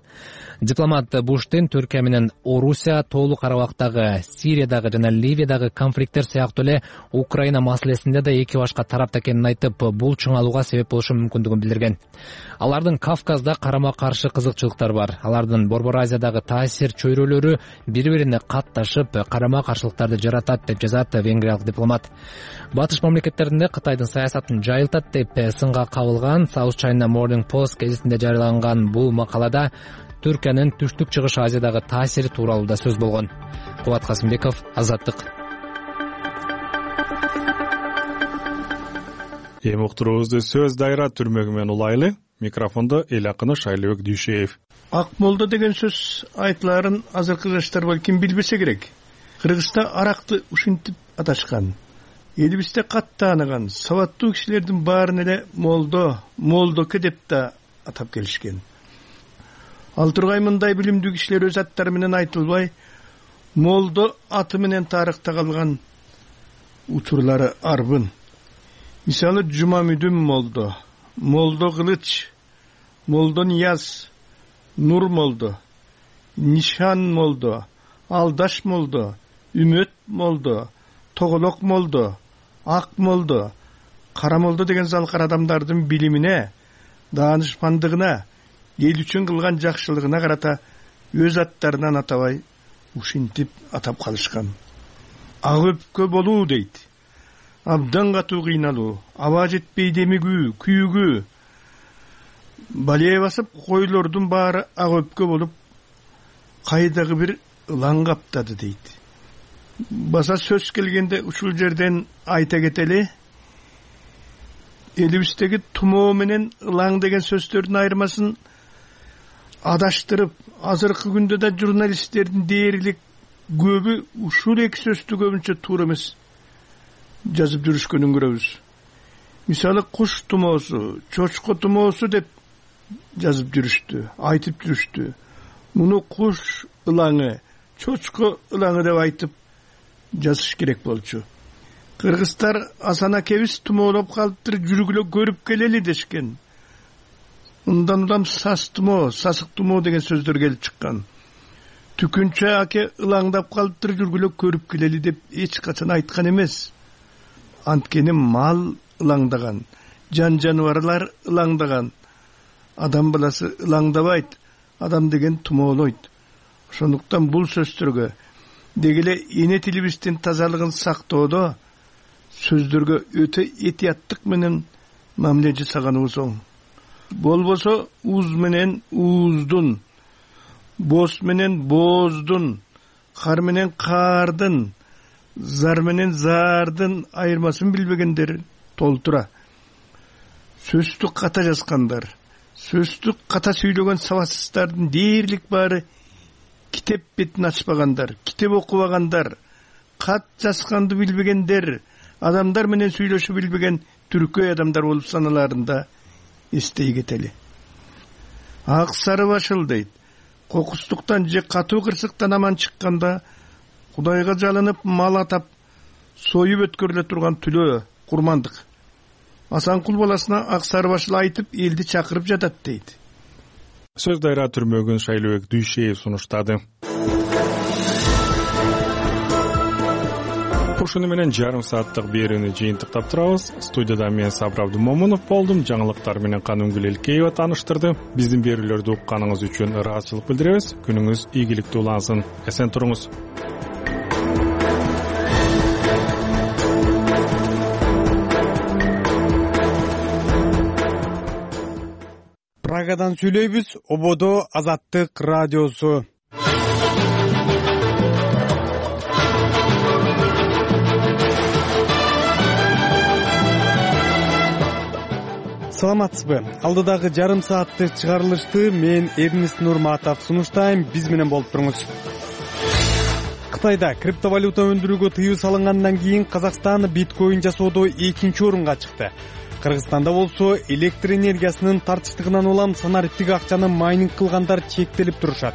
Дипломат Буштин Түркия менен Орусия толук Карабактагы, Сириядагы жана Ливиядагы конфликттер сыяктуу эле Украина маселесинде да эки башка тарапта экенин айтып, бул чыңалууга себеп болушу мүмкүндүгүн билдирген. Алардын Кавказда карама-каршы кызыкчылыктары бар. Алардын Борбор Азиядагы таасир чөйрөлөрү бири-бирине катташып, карама-каршылыктарды жаратат деп жазат венгриялык дипломат. Батыш мамлекеттеринде Кытайдын саясатын жайылтат деп сынга кабылган South China Morning Post гезитинде жарыяланган бул макалада Түркиянын түштүк-чыгыш Азиядагы таасири тууралуу да сөз болгон. Кубат Касымбеков, Азаттык. Эми уктуруубузду сөз дайра түрмөгү менен улайлы. Микрофондо эл акыны Шайлыбек Дүйшеев. Ак молдо деген сөз айтыларын азыркы жаштар балким билбесе керек. Кыргызста аракты ушинтип аташкан. Элибизде кат тааныган сабаттуу кишилердин баарын эле молдо, молдоке деп да атап келишкен. Ал тургай мындай билимдүү кишилер өз аттары менен айтылбай, молдо аты менен тарыхта калган учурлары арбын. Мисалы Жумамүдүн молдо, молдо Кылыч, молдо Нияз, Нур молдо, Нишан молдо, Алдаш молдо, Үмөт молдо, Тоголок молдо, Ак молдо, Кара молдо деген залкар адамдардын билимине, даанышмандыгына, эл үчүн кылган жакшылыгына карата өз аттарынан атабай ушинтип атап калышкан. Ак өпкө болуу дейт. Абдан катуу кыйналуу, аба жетпей демигүү, күйүгүү. Балее басып койлордун баары ак өпкө болуп, кайдагы бир ылаң каптады дейт. Баса сөз келгенде ушул жерден айта кетели, элибиздеги тумоо менен ылаң деген сөздөрдүн айырмасын адаштырып, азыркы күндө да журналисттердин дээрлик көбү ушул эки сөздү көбүнчө туура эмес жазып жүрүшкөнүн көрөбүз. Мисалы куш тумоосу, чочко тумоосу деп жазып жүрүштү, айтып жүрүштү. Муну куш ылаңы, чочко ылаңы деп айтып жазыш керек болчу. Кыргыздар Асан акебиз тумоолоп калыптыр, жүргүлө көрүп келели дешкен. Ундан улам сас тумоо, сасык тумоо деген сөздөр келип чыккан. Түкүнчө аке ылаңдап калыптыр, жүргүлө көрүп келели деп эч качан айткан эмес. Анткени мал ылаңдаган, жан жаныбарлар ылаңдаган. Адам баласы ылаңдабайт, адам деген тумоолойт. Ошондуктан бул сөздөргө дегеле эне тилибиздин тазалыгын сактоодо сөздөргө өтө этияттык менен мамиле жасаганыбыз оң. Болбосо уз менен ууздун, боз менен бооздун, кар менен каардын, зар менен зардын айырмасын билбегендер толтура. Сөздү ката жазгандар, сөздү ката сүйлөгөн сабатсыздардын дээрлик баары китеп бетин ачпагандар, китеп окубагандар, кат жазганды билбегендер, адамдар менен сүйлөшүп билбеген түркөй адамдар болуп саналарын да эстей кетели. Ак сары башыл дейт. Кокустуктан же катуу кырсыктан аман чыкканда Кудайга жалынып мал атап союп өткөрүлө турган түлөө курмандык. Асанкул баласына ак сары башыл айтып элди чакырып жатат дейт. Сөз дайра түрмөгүн Шайлообек Дүйшеев сунуштады. Ушуну менен жарым сааттык берүүнү жыйынтыктап турабыз. Студияда мен Сабыр Абдымомунов болдум. Жаңылыктар менен Канунгүл Элкеева тааныштырды. Биздин берүүлөрдү укканыңыз үчүн ыраазычылык билдиребиз. Күнүңүз ийгиликтүү улансын. Эсен туруңуз. Прагадан сүйлөйбүз. Ободо Азаттык радиосу. Саламатсызбы? Алдыдагы жарым сааттык чыгарылышты мен Эрнест Нурматов сунуштайм. Биз менен болуп туруңуз. Кытайда криптовалюта өндүрүүгө тыюу салынгандан кийин Казакстан биткоин жасоодо экинчи орунга чыкты. Кыргызстанда болсо электр энергиясынын тартыштыгынан улам санариптик акчаны майнинг кылгандар чектелип турушат.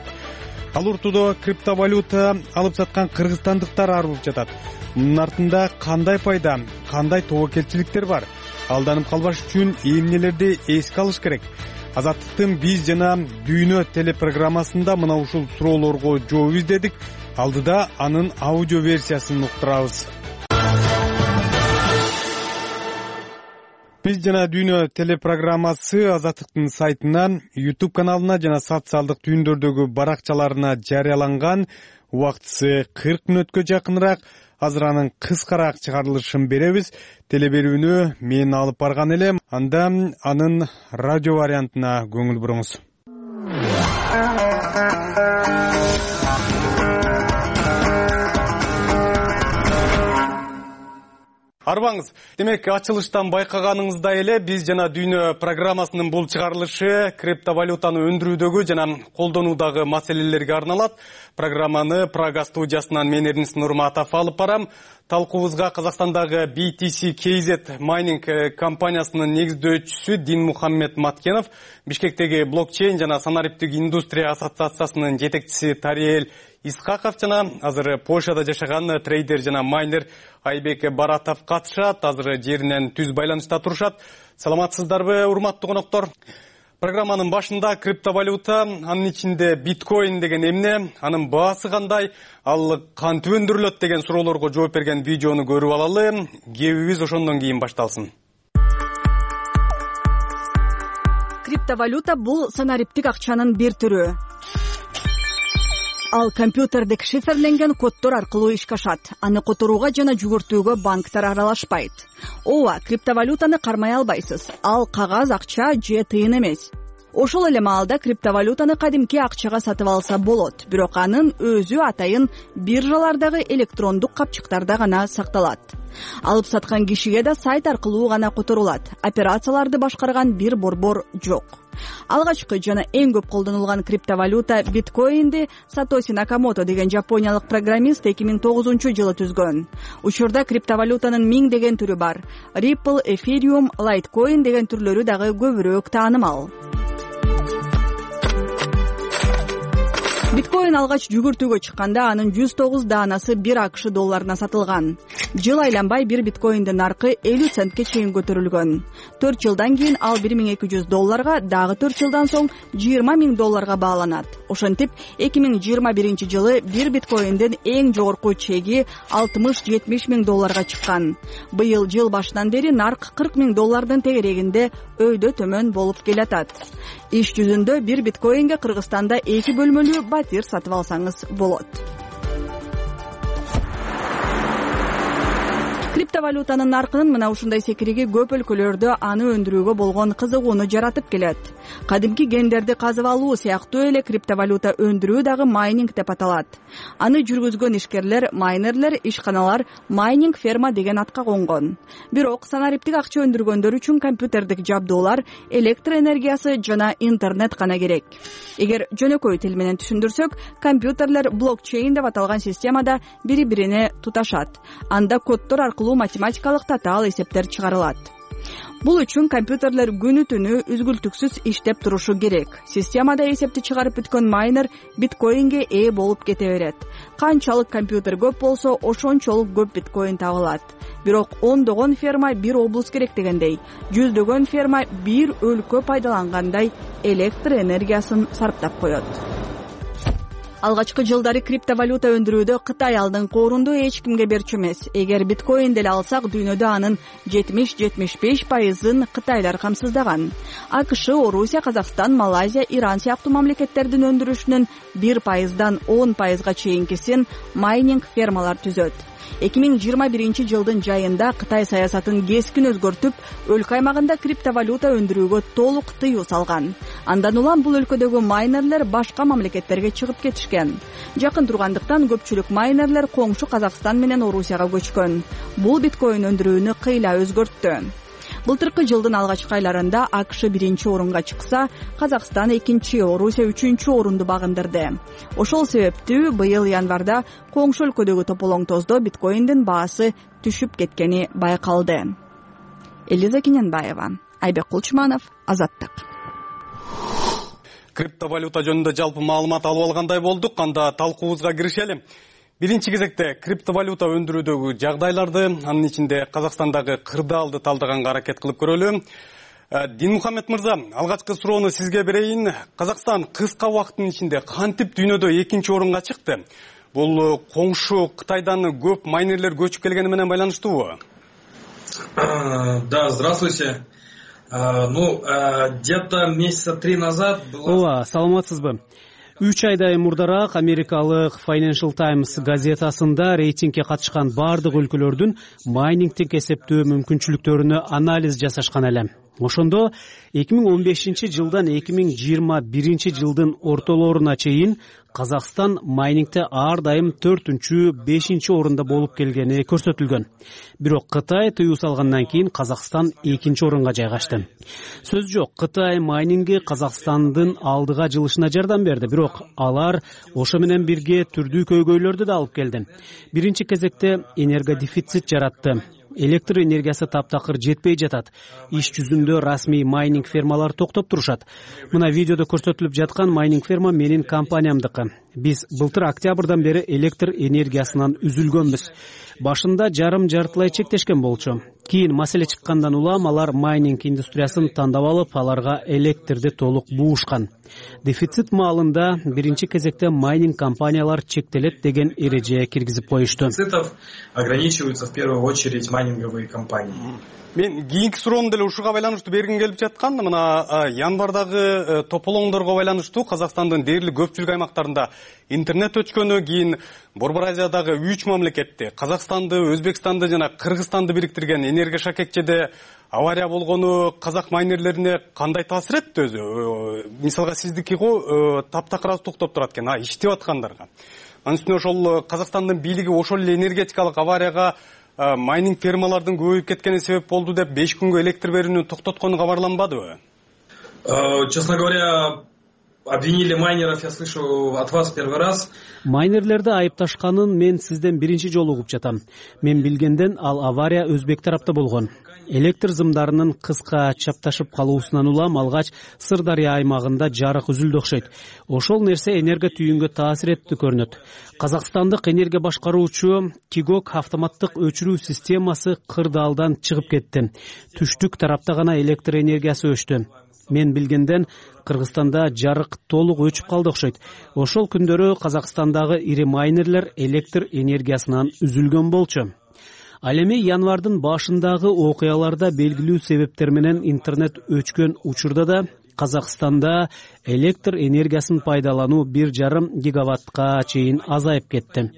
Ал уртудо криптовалюта алып саткан кыргызстандыктар арылып жатат. Мунун артында кандай пайда, кандай тобокелчиликтер бар? Алданып калбаш үчүн эмнелерди эске алыш керек? Азаттыктын биз жана дүйнө телепрограммасында мына ушул суроолорго жооп издедик. Алдыда анын аудио версиясын уктурабыз. Биз жана дүйнө телепрограммасы Азаттыктын сайтына, YouTube каналына жана социалдык түйүндөрдөгү баракчаларына жарыяланган. Убактысы кырк мүнөткө жакыныраак. Азыр анын кыскараак чыгарылышын беребиз. Телеберүүнү мен алып барган элем. Анда анын радио вариантына көңүл буруңуз. Арбаңыз. Демек, ачылыштан байкаганыңыздай эле биз жана дүйнө программасынын бул чыгарылышы криптовалютаны өндүрүүдөгү жана колдонуудагы маселелерге арналат. Программаны Прага студиясынан мен Эрнест Нурматов алып барам. Талкуубузга Казакстандагы би ти си кей зет майнинг компаниясынын негиздөөчүсү Динмухаммед Маткенов, Бишкектеги блокчейн жана санариптик индустрия ассоциациясынын жетекчиси Тариэл Исхаков жана азыр Польшада жашаган трейдер жана майнер Айбек Баратов катышат. Азыр жеринен түз байланышта турушат. Саламатсыздарбы, урматтуу коноктор? Программанын башында криптовалюта, анын ичинде биткоин деген эмне, анын баасы кандай, ал кантип өндүрүлөт деген суроолорго жооп берген видеону көрүп алалы. Кебибиз ошондон кийин башталсын. Криптовалюта бул санариптик акчанын бир түрү. Ал компьютердик шифрленген коддор аркылуу ишке ашат. Аны которууга жана жүгүртүүгө банктар аралашпайт. Ооба, криптовалютаны кармай албайсыз. Ал кагаз акча же тыйын эмес. Ошол эле маалда криптовалютаны кадимки акчага сатып алса болот, бирок анын өзү атайын биржалардагы электрондук капчыктарда гана сакталат. Алып саткан кишиге да сайт аркылуу гана которулат. Операцияларды башкарган бир борбор жок. Алгачкы жана эң көп колдонулган криптовалюта биткоинди Сатоси Накамото деген жапониялык программист эки миң тогузунчу жылы түзгөн. Учурда криптовалютанын миңдеген түрү бар. Ripple, Ethereum, Litecoin деген түрлөрү дагы көбүрөөк таанымал. Биткоин алгач жүгүртүүгө чыкканда анын жүз тогуз даанасы бир акш долларына сатылган. Жыл айланбай бир биткоиндин наркы элүү центке чейин көтөрүлгөн. төрт жылдан кийин ал бир миң эки жүз долларга, дагы төрт жылдан соң жыйырма миң долларга бааланат. Ошентип эки миң жыйырма биринчи жылы бир биткоиндин эң жогорку чеги алтымыш жетимиш миң долларга чыккан. Быйыл жыл башынан бери нарк кырк миң доллардын тегерегинде өйдө төмөн болуп келатат. Иш жүзүндө бир биткоинге Кыргызстанда эки бөлмөлүү батир сатып алсаңыз болот. Криптовалютанын наркынын мына ушундай секириги көп өлкөлөрдө аны өндүрүүгө болгон кызыгууну жаратып келет. Кадимки гендерди казып алуу сыяктуу эле криптовалюта өндүрүү дагы майнинг деп аталат. Аны жүргүзгөн ишкерлер, майнерлер, ишканалар майнинг ферма деген атка конгон. Бирок санариптик акча өндүргөндөр үчүн компьютердик жабдуулар, электр энергиясы жана интернет гана керек. Эгер жөнөкөй тил менен түшүндүрсөк, компьютерлер блокчейн деп аталган системада бири-бирине туташат. Анда коддор аркылуу математикалык татаал эсептер чыгарылат. Бул үчүн компьютерлер күнү түнү үзгүлтүксүз иштеп турушу керек. Системада эсепти чыгарып бүткөн майнер биткоинге ээ болуп кете берет. Канчалык компьютер көп болсо, ошончолук көп биткоин табылат. Бирок ондогон ферма бир облус керек дегендей, жүздөгөн ферма бир өлкө пайдалангандай электр энергиясын сарптап коет. Алгачкы жылдары криптовалюта өндүрүүдө Кытай алдыңкы орунду эч кимге берчү эмес. Эгер биткоин деле алсак, дүйнөдө анын жетимиш жетимиш беш пайызын кытайлар камсыздаган. АКШ, Орусия, Казакстан, Малайзия, Иран сыяктуу мамлекеттердин өндүрүшүнүн бир пайыздан он пайызга чейинкисин майнинг фермалар түзөт. эки миң жыйырма биринчи жылдын жайында Кытай саясатын кескин өзгөртүп, өлкө аймагында криптовалюта өндүрүүгө толук тыюу салган. Андан улам бул өлкөдөгү майнерлер башка мамлекеттерге чыгып кетишкен. Жакын тургандыктан көпчүлүк майнерлер коңшу Казакстан менен Орусияга көчкөн. Бул биткоин өндүрүүнү кыйла өзгөрттү. Былтыркы жылдын алгачкы айларында АКШ биринчи орунга чыкса, Казакстан экинчи, Орусия үчүнчү орунду багындырды. Ошол себептүү быйыл январда коңшу өлкөдөгү тополоңтоздо биткоиндин баасы түшүп кеткени байкалды. Элиза Кененбаева, Айбек Кулчманов, Азаттык. Криптовалюта жөнүндө жалпы маалымат алып алгандай болдук. Анда талкуубузга киришели. Биринчи кезекте криптовалюта өндүрүүдөгү жагдайларды, анын ичинде Казакстандагы кырдаалды талдаганга аракет кылып көрөлү. Динмухаммед мырза, алгачкы суроону сизге берейин. Казакстан кыска убакыттын ичинде кантип дүйнөдө экинчи орунга чыкты? Бул коңшу Кытайдан көп майнерлер көчүп келгени менен байланыштуубу? Да, здравствуйте. Ну, где-то месяца три назад было... Ооба, саламатсызбы? Үч айдай мурдараак америкалык Financial Times газетасында рейтингге катышкан бардык өлкөлөрдүн майнингтик эсептөө мүмкүнчүлүктөрүнө анализ жасашкан эле. Ошондо эки миң он бешинчи жылдан эки миң жыйырма биринчи жылдын ортолоруна чейин Казакстан майнингте ар дайым төртүнчү, бешинчи орунда болуп келгени көрсөтүлгөн. Бирок Кытай тыюу салгандан кийин Казакстан экинчи орунга жайгашты. Сөз жок, Кытай майнингге Казакстандын алдыга жылышына жардам берди, бирок алар ошо менен бирге түрдүү көйгөйлөрдү да алып келди. Биринчи кезекте энергодефицит жаратты. Электр энергиясы таптакыр жетпей жатат. Иш жүзүндө расмий майнинг фермалар токтоп турушат. Мына видеодо көрсөтүлүп жаткан майнинг ферма менин компаниямдыкы. Биз былтыр октябрдан бери электр энергиясынан үзүлгөнбүз. Башында жарым жартылай чектешкен болчу. Кийин маселе чыккандан улам алар майнинг индустриясын тандап алып, аларга электрди толук буушкан. Дефицит маалында биринчи кезекте майнинг компаниялар чектелет деген эреже киргизип коюшту. Дефицитов ограничиваются в первую очередь майнинговые компании. Мен кийинки суроону деле ушуга байланыштуу бергим келип жаткан. Мына январдагы тополоңдорго байланыштуу Казакстандын дээрлик көпчүлүк аймактарында интернет өчкөнү, кийин Борбор Азиядагы үч мамлекетте Казакстанды, Өзбекстанды жана Кыргызстанды бириктирген энергошакекчеде авария болгону казак майнерлерине кандай таасир этти өзү? Мисалга сиздики го таптакыр аз токтоп турат экен, а иштеп аткандарга. Анын үстүнө ошол Казакстандын бийлиги ошол эле энергетикалык аварияга майнинг фермалардын көбөйүп кеткени себеп болду деп беш күнгө электр берүүнү токтоткону кабарланбадыбы? Честно говоря, обвинили майнеров, я слышу от вас первый раз. Майнерлерди айыпташканын мен сизден биринчи жолу угуп жатам. Мен билгенден ал авария өзбек тарапта болгон. Электр зымдарынын кыска чапташып калуусунан улам алгач Сырдария аймагында жарык үзүлдү окшойт. Ошол нерсе энергия түйүнгө таасир этти көрүнөт. Казакстандык энергия башкаруучу Кигок автоматтык өчүрүү системасы кырдаалдан чыгып кетти. Түштүк тарапта гана электр энергиясы өчтү. Мен билгенден Кыргызстанда жарык толук өчүп калды окшойт. Ошол күндөрү Казакстандагы ири майнерлер электр энергиясынан үзүлгөн болчу. Ал эми январдын башындагы окуяларда белгилүү себептер менен интернет өчкөн учурда да Казакстанда электр энергиясын пайдалануу бир жарым гигаваттка чейин азайып кетти.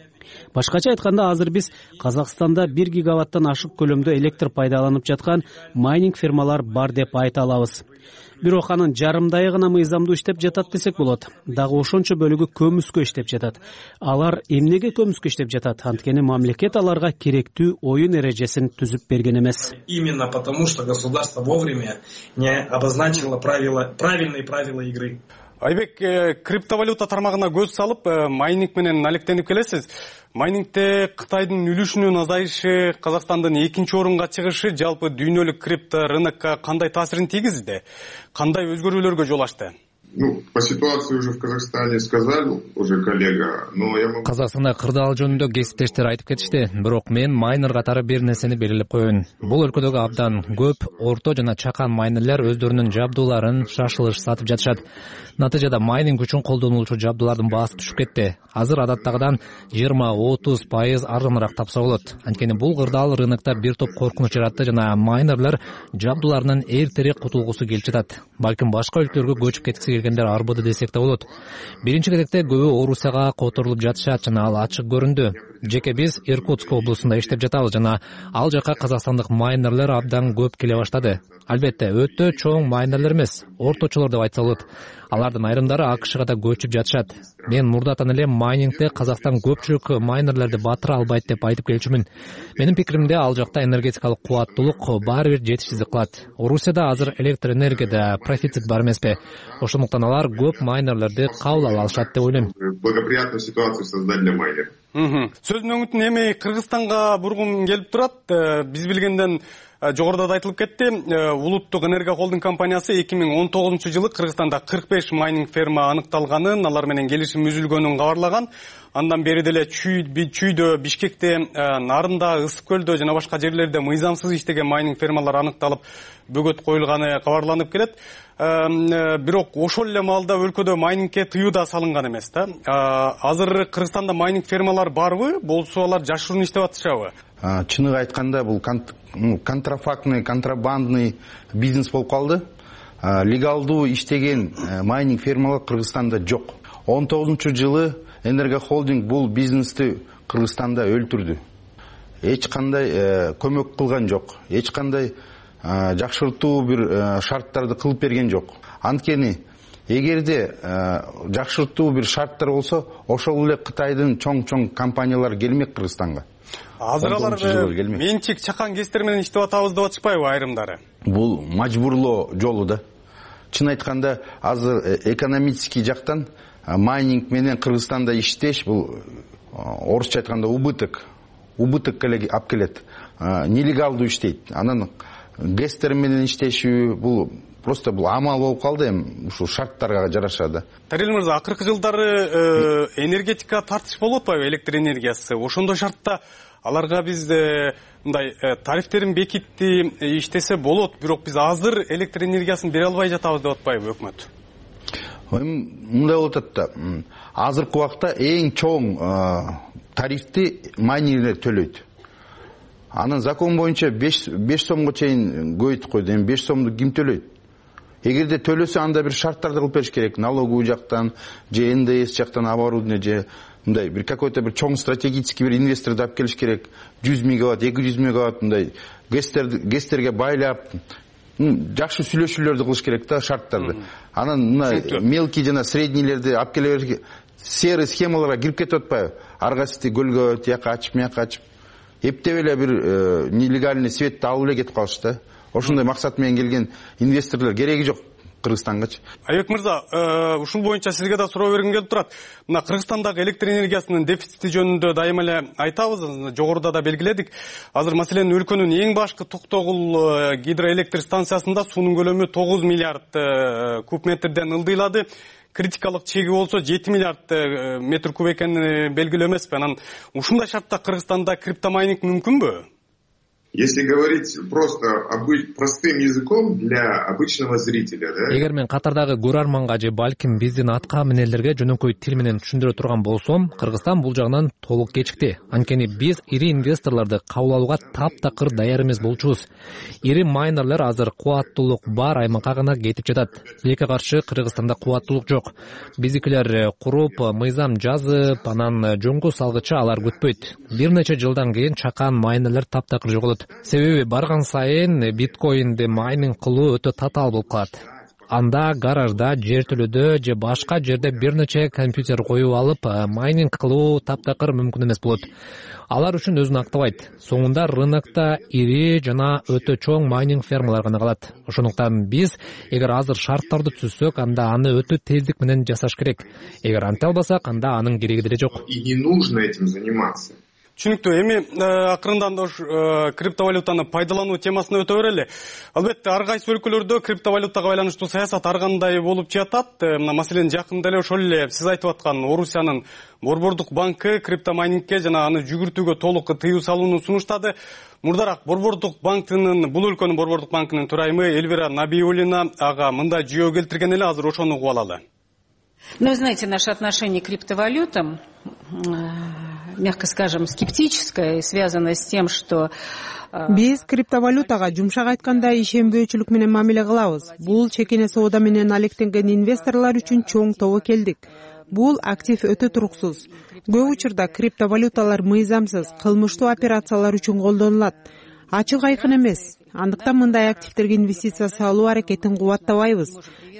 Башкача айтканда, азыр биз Казакстанда бир гигаваттан ашык көлөмдө электр пайдаланып жаткан майнинг фермалар бар деп айта алабыз. Бирок анын жарымдайы гана мыйзамдуу иштеп жатат десек болот. Дагы ошончо бөлүгү көмүскө иштеп жатат. Алар эмнеге көмүскө иштеп жатат? Анткени мамлекет аларга керектүү оюн эрежесин түзүп берген эмес. Именно потому, что государство вовремя не обозначило правила, правильные правила игры. Айбек, криптовалюта тармагына көз салып, майнинг менен алектенип келесиз. майнингде Кытайдын үлүшүнүн азайышы, Казакстандын экинчи орунга чыгышы жалпы дүйнөлүк крипто рынокко кандай таасирин тийгизди? Кандай өзгөрүүлөргө жол ачты? Ну, по ситуации уже в Казахстане сказал уже коллега, но я могу... Казакстанда кырдаал жөнүндө кесиптештер айтып кетишти, бирок мен майнер катары бир нерсени белгилеп коеюн. Бул өлкөдөгү абдан көп орто жана чакан майнерлер өздөрүнүн жабдууларын шашылыш сатып жатышат. Натыйжада майнинг үчүн колдонулуучу жабдуулардын баасы түшүп кетти. Азыр адаттагыдан жыйырма отуз пайыз арзаныраак тапса болот. Анткени бул кырдаал рынокто бир топ коркунуч жаратты жана майнерлер жабдууларынын эртерээк кутулгусу келип жатат. Балким башка өлкөлөргө көчүп кеткиси келгендер арбыды десек да болот. Биринчи кезекте көбү Орусияга которулуп жатышат жана ал ачык көрүндү. Жеке биз Иркутск облусунда иштеп жатабыз жана ал жака казакстандык майнерлер абдан көп келе баштады. Албетте, өтө чоң майнерлер эмес, орточолор деп айтса болот. Алардын айрымдары АКШга да көчүп жатышат. Мен мурдатан эле майнингде Казакстан көпчүлүк майнерлерди батыра албайт деп айтып келчүмүн. Менин пикиримде, ал жакта энергетикалык кубаттуулук баары бир жетишсиздик кылат. Орусияда азыр электр энергияда профицит бар эмеспи? Ошондуктан алар көп майнерлерди кабыл ала алышат деп ойлойм. Благоприятную ситуацию создать для майнеров. Сөздүн өңүтүн эми Кыргызстанга бургум келип турат. Биз билгенден жогоруда да айтылып кетти. Улуттук энергия холдинг компаниясы эки миң он тогузунчу жылы Кыргызстанда кырк беш майнинг ферма аныкталганын, алар менен келишим үзүлгөнүн кабарлаган. Андан бери деле Чүйдө, Бишкекте, Нарында, Ысык көлдө жана башка жерлерде мыйзамсыз иштеген майнинг фермалар аныкталып, бөгөт коюлганы кабарланып келет. Бирок ошол эле маалда өлкөдө майнингке тыюу да салынган эмес да. Азыр Кыргызстанда майнинг фермалар барбы? Болсо алар жашыруун иштеп атышабы? Чыныгы айтканда бул контрафактный, контрабандный бизнес болуп калды. Легалдуу иштеген майнинг фермалар Кыргызстанда жок. он тогузунчу жылы Энергохолдинг бул бизнести Кыргызстанда өлтүрдү. Эч кандай көмөк кылган жок. Эч кандай жакшыртуу бир шарттарды кылып берген жок. Анткени эгерде жакшыртуу бир шарттар болсо, ошол эле Кытайдын чоң-чоң компаниялары келмек Кыргызстанга. Азыр алар менчик чакан кестер менен иштеп атабыз деп атышпайбы айрымдары? Бул мажбурлоо жолу да. Чын айтканда, азыр экономический жактан майнинг менен Кыргызстанда иштеш бул орусча айтканда убыток. Убыток эле алып келет. Нелегалдуу иштейт. Анан гестер менен иштешүү бул просто бул амал болуп калды эми ушул шарттарга жараша да. Тарил мырза, акыркы жылдары энергетика тартыш болуп атпайбы, электр энергиясы? Ошондой шартта аларга биз мындай тарифтерин бекитти, иштесе болот, бирок биз азыр электр энергиясын бере албай жатабыз деп атпайбы өкмөт? Мындай болуп атат да. Азыркы убакта эң чоң тарифти майнерлер төлөйт. Анын закон боюнча беш сомго чейин көбөйтүп койду. Эми беш сомду ким төлөйт? Эгерде төлөсө, анда бир шарттарды кылып бериш керек. Налоговый жактан, же эн дэ эс жактан оборудование, же мындай бир какой-то бир чоң стратегический бир инвесторду алып келиш керек. жүз мегаватт, эки жүз мегаватт мындай гестерге байлап, жакшы сүйлөшүүлөрдү кылыш керек да, шарттарды. Анан мына мелкий жана среднийлерди алып келе бериш. Серый схемаларга кирип кетип атпайбы? Аргасты көлгө тияка ачып, мияка ачып, эптеп эле бир нелегальный светти алып эле кетип калышты. Ошондой максат менен келген инвесторлор кереги жок Кыргызстангачы. Айбек мырза, ушул боюнча сизге да суроо бергим келип турат. Мына Кыргызстандагы электр энергиясынын дефицити жөнүндө дайыма эле айтабыз, жогоруда да белгиледик. Азыр маселен өлкөнүн эң башкы Токтогул гидроэлектр станциясында суунун көлөмү тогуз миллиард куб метрден ылдыйлады. Критикалык чеги болсо жети миллиард метр куб экени белгилүү эмеспи? Анан ушундай шартта Кыргызстанда криптомайнинг мүмкүнбү? Если говорить просто простым языком для обычного зрителя, да? Эгер мен катардагы көрөрманга же балким биздин атка минерлерге жөнөкөй тил менен түшүндүрө турган болсом, Кыргызстан бул жагынан толук кечикти. Анткени биз ири инвесторлорду кабыл алууга таптакыр даяр эмес болчубуз. Ири майнерлер азыр кубаттуулук бар аймакка гана кетип жатат. Тилекке каршы Кыргызстанда кубаттуулук жок. Биздикилер куруп, мыйзам жазып, анан жөнгө салгыча алар күтпөйт. Бир нече жылдан кийин чакан майнерлер таптакыр жоголот. Себеби барган сайын биткоинди майнинг кылуу өтө татаал болуп калат. анда гаражда, жертөлөдө же башка жерде бир нече компьютер коюп алып майнинг кылуу таптакыр мүмкүн эмес болот. Алар үчүн өзүн актабайт. Соңунда рынокто ири жана өтө чоң майнинг фермалар гана калат. Ошондуктан биз эгер азыр шарттарды түзсөк, анда аны өтө тездик менен жасаш керек. Эгер анте албасак, анда анын кереги деле жок. И не нужно этим заниматься. Түшүнүктүү. Эми акырындан да криптовалютаны пайдалануу темасына өтө берели. Албетте ар кайсы өлкөлөрдө криптовалютага байланыштуу саясат ар кандай болуп жатат. Мына маселен жакында эле ошол эле сиз айтып аткан Орусиянын Борбордук банкы криптомайнингке жана аны жүгүртүүгө толук тыюу салууну сунуштады. Мурдараак Борбордук банкынын, бул өлкөнүн Борбордук банкынын төрайымы Эльвира Набиуллина ага мындай жүйө келтирген эле, азыр ошону угуп алалы. Ну, знаете, наше отношение к криптовалютам, мягко скажем, скептическое, связано с тем, что биз криптовалютага жумшак айтканда ишенбөөчүлүк менен мамиле кылабыз. Бул чекене соода менен алектенген инвесторлор үчүн чоң тобокелдик. Бул актив өтө туруксуз. Көп учурда криптовалюталар мыйзамсыз, кылмыштуу операциялар үчүн колдонулат. Ачык айкын эмес. Андыктан мындай активтерге инвестиция салуу аракетин кубаттабайбыз.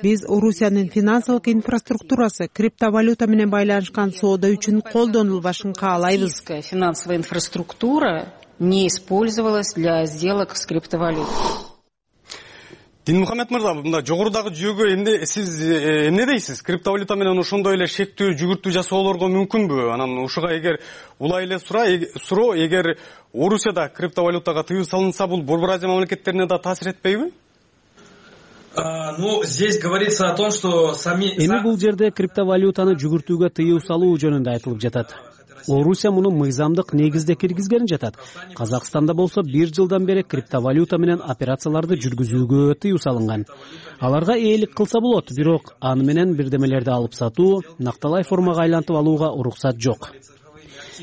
Биз Орусиянын финансылык инфраструктурасы криптовалюта менен байланышкан соода үчүн колдонулбашын каалайбыз. Финансовая инфраструктура не использовалась для сделок с криптовалютой. Динмухамед мырза, мында жогорудагы жүйөгө эмне сиз эмне дейсиз? Криптовалюта менен ошондой эле шектүү жүгүртүү жасоолорго мүмкүнбү? Анан ушуга эгер улай эле суроо, эгер Орусияда криптовалютага тыюу салынса, бул Борбор Азия мамлекеттерине да таасир этпейби? Ну, здесь говорится о том, что сами... Эми бул жерде криптовалютаны жүгүртүүгө тыюу салуу жөнүндө айтылып жатат. Орусия муну мыйзамдык негизде киргизген жатат. Казакстанда болсо бир жылдан бери криптовалюта менен операцияларды жүргүзүүгө тыюу салынган. Аларга ээлик кылса болот, бирок аны менен бирдемелерди алып сатуу, накталай формага айлантып алууга уруксат жок.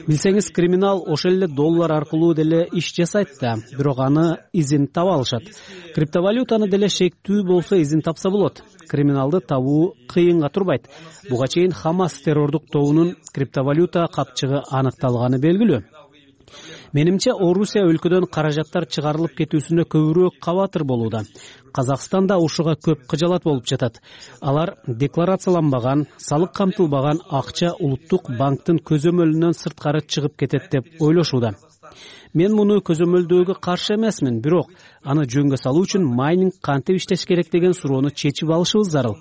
Билсеңиз, криминал ошол эле доллар аркылуу деле иш жасайт да, бирок аны изин таба алышат. Криптовалютаны деле шектүү болсо изин тапса болот. Криминалды табуу кыйынга турбайт. Буга чейин Хамас террордук тобунун криптовалюта капчыгы аныкталганы белгилүү. Менимче, Орусия өлкөдөн каражаттар чыгарылып кетүүсүнө көбүрөөк кабатыр болууда. Казакстанда ушуга көп кыжалат болуп жатат. Алар декларацияланбаган, салык камтылбаган акча улуттук банктын көзөмөлүнөн сырткары чыгып кетет деп ойлошууда. Мен муну көзөмөлдөөгө каршы эмесмин, бирок аны жөнгө салуу үчүн майнинг кантип иштеш керек деген суроону чечип алышыбыз зарыл.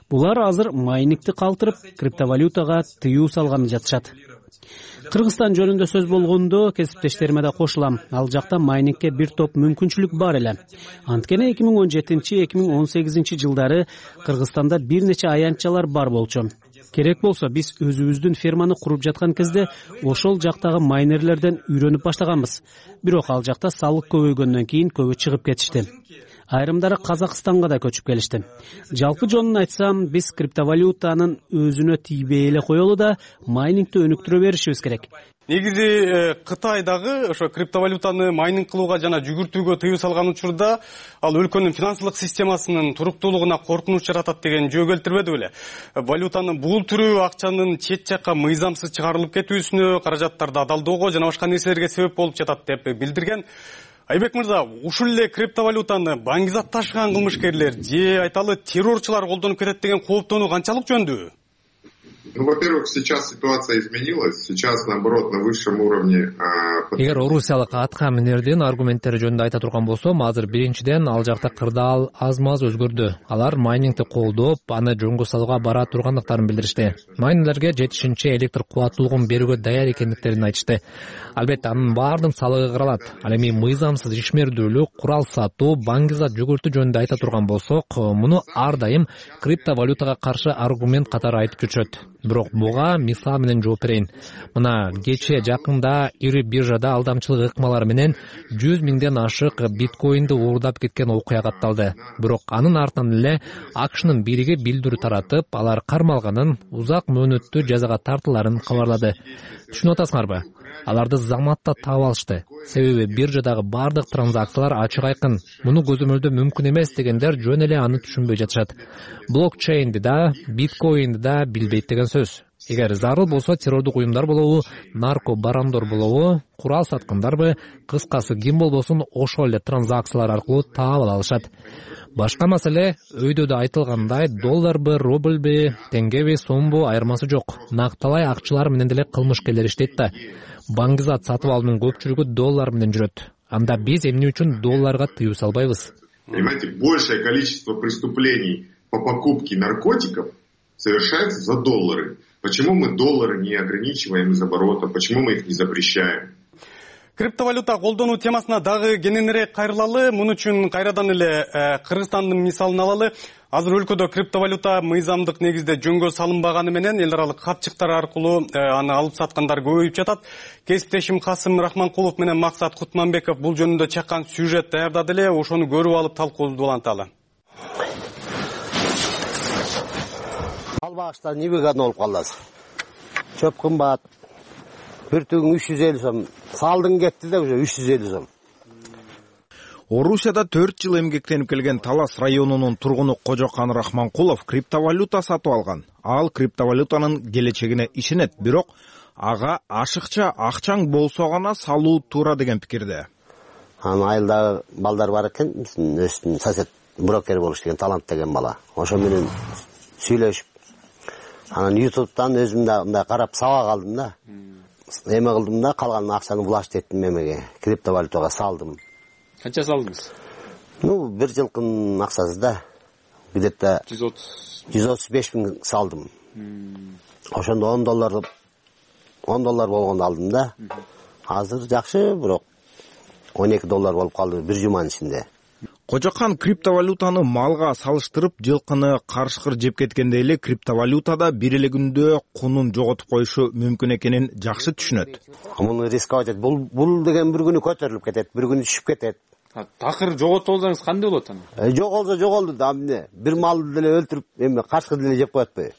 Булар азыр майнингти калтырып, криптовалютага тыюу салганы жатышат. Кыргызстан жөнүндө сөз болгондо кесиптештериме да кошулам. Ал жакта майнингке бир топ мүмкүнчүлүк бар эле. Анткени эки миң он жетинчи эки миң он сегизинчи жылдары Кыргызстанда бир нече аянтчалар бар болчу. Керек болсо биз өзүбүздүн ферманы куруп жаткан кезде ошол жактагы майнерлерден үйрөнүп баштаганбыз. Бирок ал жакта салык көбөйгөндөн кийин көбү чыгып кетишти. Айрымдары Казакстанга да көчүп келишти. Жалпы жонун айтсам, биз криптовалютанын өзүнө тийбей эле коелу да майнингти өнүктүрө беришибиз керек. Негизи Кытайдагы ошо криптовалютаны майнинг кылууга жана жүгүртүүгө тыюу салган учурда ал өлкөнүн финансылык системасынын туруктуулугуна коркунуч жаратат деген жөө келтирбеди беле? Валютанын бул түрү акчанын чет жакка мыйзамсыз чыгарылып кетүүсүнө, каражаттарды адалдоого жана башка нерселерге себеп болуп жатат деп билдирген. Айбек мырза, ушул эле криптовалютаны баңгизат ташыган кылмышкерлер же айталы террорчулар колдонуп кетет деген кооптонуу канчалык жөндүү? Ну, во-первых, сейчас ситуация изменилась. Сейчас, наоборот, на высшем уровне... Эгер орусиялык атка минердин аргументтери жөнүндө айта турган болсом, азыр биринчиден ал жакта кырдаал аз-маз өзгөрдү. Алар майнингти колдоп, аны жөнгө салууга бара тургандыктарын билдиришти. Майнерлерге жетишинче электр кубаттуулугун берүүгө даяр экендиктерин айтышты. Албетте, анын баардык салыгы каралат. Ал эми мыйзамсыз ишмердүүлүк, курал сатуу, баңгизат жүгүртүү жөнүндө айта турган болсок, муну ар дайым криптовалютага каршы аргумент катары айтып жүрүшөт. Бирок буга мисал менен жооп берейин. Мына кечээ жакында ири биржада алдамчылык ыкмалары менен жүз миңден ашык биткоинди уурдап кеткен окуя катталды. Бирок анын артынан эле АКШнын бириги билдирүү таратып, алар кармалганын, узак мөөнөттүү жазага тартыларын кабарлады. Түшүнүп атасыңарбы? Аларды заматта таап алышты. Себеби биржадагы бардык транзакциялар ачык айкын. Муну көзөмөлдөө мүмкүн эмес дегендер жөн эле аны түшүнбөй жатышат. Блокчейнди да, биткоинди да билбейт деген сөз. Эгер зарыл болсо террордук уюмдар болобу, нарко барондор болобу, курал саткандарбы, кыскасы ким болбосун ошол эле транзакциялар аркылуу таап ала алышат. Башка маселе өйдө да айтылгандай долларбы, рубльбы, теңгеби, сомбу айырмасы жок. Накталай акчалар менен деле кылмышкерлер иштейт да. Баңгизат сатып алуунун көпчүлүгү доллар менен жүрөт. Анда биз эмне үчүн долларга тыюу салбайбыз? Понимаете, большее количество преступлений по покупке наркотиков совершается за доллары. Почему мы доллары не ограничиваем из оборота? Почему мы их не запрещаем? Криптовалюта колдонуу темасына дагы кененирээк кайрылалы. Муну үчүн кайрадан эле Кыргызстандын мисалын алалы. Азыр өлкөдө криптовалюта мыйзамдык негизде жөнгө салынбаганы менен эл аралык капчыктар аркылуу аны алып саткандар көбөйүп жатат. Кесиптешим Касым Рахманкулов менен Максат Кутманбеков бул жөнүндө чаккан сюжет даярдады эле. Ошону көрүп алып талкуубузду уланталы. Албагычтар невыгодно болуп калды азыр. Чөп кымбат. Бир түгүн үч жүз элүү сом. Салдың кетти да уже үч жүз элүү сом. Орусияда төрт жыл эмгектенип келген Талас районунун тургуну Кожокан Рахманкулов криптовалюта сатып алган. Ал криптовалютанын келечегине ишенет, бирок ага ашыкча акчаң болсо гана салуу туура деген пикирде. Анын айылдагы балдар бар экен, биздин өстүн сосед брокер болуш деген талант деген бала. Ошо менен сүйлөшүп, анан ютубтан өзүм да мындай карап сабак алдым да. Эме кылдым да, калган акчаны влашт эттим эмеге, криптовалютага салдым. Канча салдыңыз? Ну, бир жылкынын акчасы да. Где-то жүз отуз беш миң салдым. Ошондо он доллар он доллар болгондо алдым да. Азыр жакшы, бирок он эки доллар болуп калды бир жуманын ичинде. Кожокан криптовалютаны малга салыштырып жылкыны карышкыр жеп кеткенде эле криптовалютада бир эле күндө кунун жоготуп коюшу мүмкүн экенин жакшы түшүнөт. Муну рисковать этет. Бул бул деген бир күнү көтөрүлүп кетет, бир күнү түшүп кетет. Такыр жоготуп алсаңыз кандай болот аны? Жоголсо жоголду да, эмне? Бир малды деле өлтүрүп, эме карышкыр деле жеп коет атпайбы?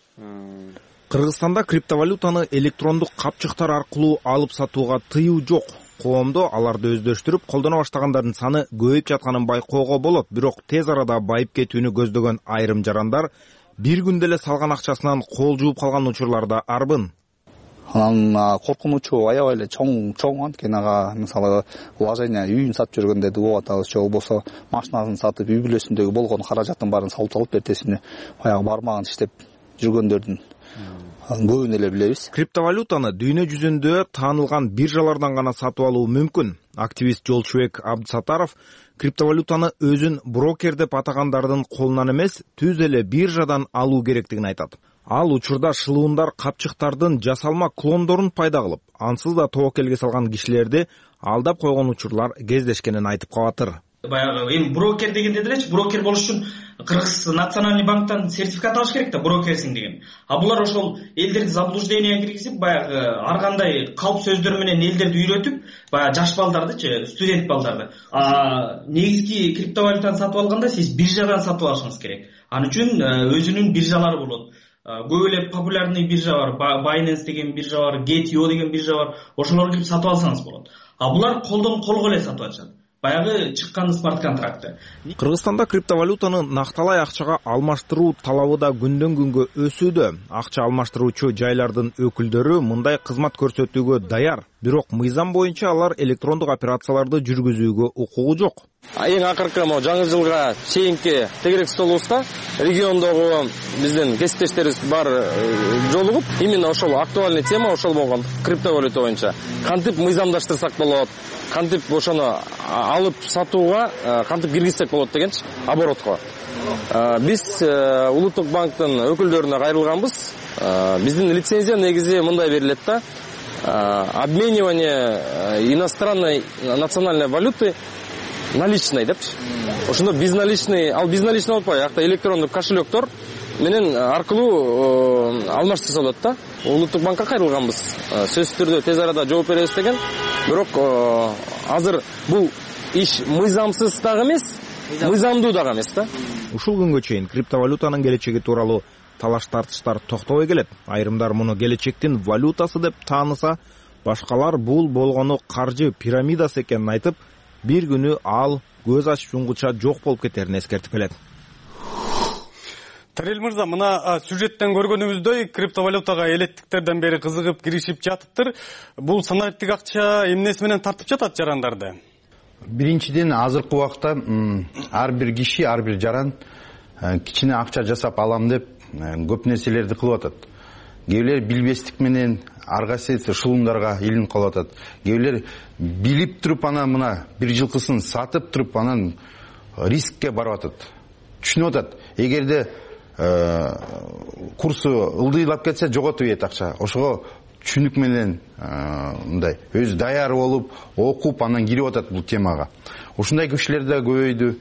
Кыргызстанда криптовалютаны электрондук капчыктар аркылуу алып сатууга тыюу жок. Коомдо аларды өздөштүрүп колдоно баштагандардын саны көбөйүп жатканын байкоого болот, бирок тез арада байып кетүүнү көздөгөн айрым жарандар бир күндө эле салган акчасынан кол жууп калган учурлар да арбын. Анан коркунучу аябай эле чоң чоң анткени ага мисалы вложение үйүн сатып жүргөндө болот, же болбосо машинасын сатып үй бүлөсүндөгү болгон каражаттын баарын салып салып эртесине баягы бармагын иштеп жүргөндөрдүн көбүн эле билебиз. Криптовалютаны дүйнө жүзүндө таанылган биржалардан гана сатып алуу мүмкүн. Активист Жолчубек Абдысатаров криптовалютаны өзүн брокер деп атагандардын колунан эмес, түз эле биржадан алуу керектигин айтат. Ал учурда шылуундар капчыктардын жасалма клондорун пайда кылып, ансыз да тобокелге салган кишилерди алдап койгон учурлар кездешкенин айтып калатыр. Баягы эми брокер дегенде делечи, брокер болуш үчүн Кыргыз национальный банктан сертификат алыш керек да, брокерсиң деген. А булар ошол элдерди заблуждение киргизип, баягы ар кандай калп сөздөр менен элдерди үйрөтүп, баягы жаш балдардычы, студент балдарды. А негизги криптовалютаны сатып алганда сиз биржадан сатып алышыңыз керек. Ал үчүн өзүнүн биржалары болот. Көп эле популярный биржа бар, Binance деген биржа бар, Get io деген биржа бар. Ошолорго кирип сатып алсаңыз болот. А булар колдон колго эле сатып алышат. Баягы чыккан смарт контракты. Кыргызстанда криптовалютаны накталай акчага алмаштыруу талабы да күндөн күнгө өсүүдө. Акча алмаштыруучу жайлардын өкүлдөрү мындай кызмат көрсөтүүгө даяр. Бирок мыйзам боюнча алар электрондук операцияларды жүргүзүүгө укугу жок. Эң акыркы мо жаңы жылга чейинки тегерек столубузда региондогу биздин кесиптештерибиз бар жолугуп, именно ошол актуальный тема ошол болгон, криптовалюта боюнча. Кантип мыйзамдаштырсак болот, кантип ошону алып сатууга кантип киргизсек болот дегенчи, оборотко. Биз Улуттук банктын өкүлдөрүнө кайрылганбыз. Биздин лицензия негизи мындай берилет да: обменивание иностранной национальной валюты наличный депчи. Ошондо безналичный, ал безналичный болуп атпайбы, акта электрондук кошелектор менен аркылуу алмаштырса болот да. Улуттук банкка кайрылганбыз. Сөзсүз түрдө тез арада жооп беребиз деген. Бирок азыр бул иш мыйзамсыз дагы эмес, мыйзамдуу дагы эмес да. Ушул күнгө чейин криптовалютанын келечеги тууралуу талаш тартыштар токтобой келет. Айрымдар муну келечектин валютасы деп тааныса, башкалар бул болгону каржы пирамидасы экенин айтып, бир күнү ал көз ачып жумгуча жок болуп кетерин эскертип келет. Тарел мырза, мына сюжеттен көргөнүбүздөй криптовалютага элеттиктерден бери кызыгып киришип жатыптыр. Бул санариптик акча эмнеси менен тартып жатат жарандарды? Биринчиден, азыркы убакта ар бир киши, ар бир жаран кичине акча жасап алам деп көп нерселерди кылып атат. Кээ бирлер билбестик менен ар кайсы шылымдарга илинип калып атат. Кээ бирлер билип туруп анан мына бир жылкысын сатып туруп анан рискке барып атат. Түшүнүп атат. Эгерде курсу ылдыйлап кетсе жоготуп ийет акча. Ошого түшүнүк менен мындай өзү даяр болуп, окуп анан кирип атат бул темага. Ушундай кишилер да көбөйдү.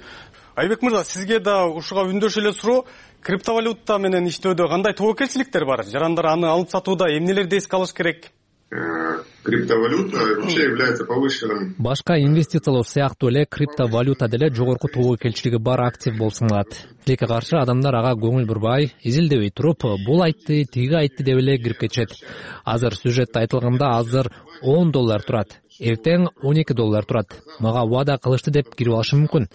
Айбек мырза, сизге да ушуга үндөш эле суроо. Криптовалюта менен иштөөдө кандай тобокелчиликтер бар? Жарандар аны алып сатууда эмнелерди эске алыш керек? Криптовалюта вообще является повышенным. Башка инвестициялоо сыяктуу эле криптовалюта деле жогорку тобокелчилиги бар актив болуп саналат. Тилекке каршы адамдар ага көңүл бурбай, изилдебей туруп, бул айтты, тиги айтты деп эле кирип кетишет. Азыр сюжетте айтылганда азыр он доллар турат, эртең он эки доллар турат. Мага убада кылышты деп кирип алышы мүмкүн.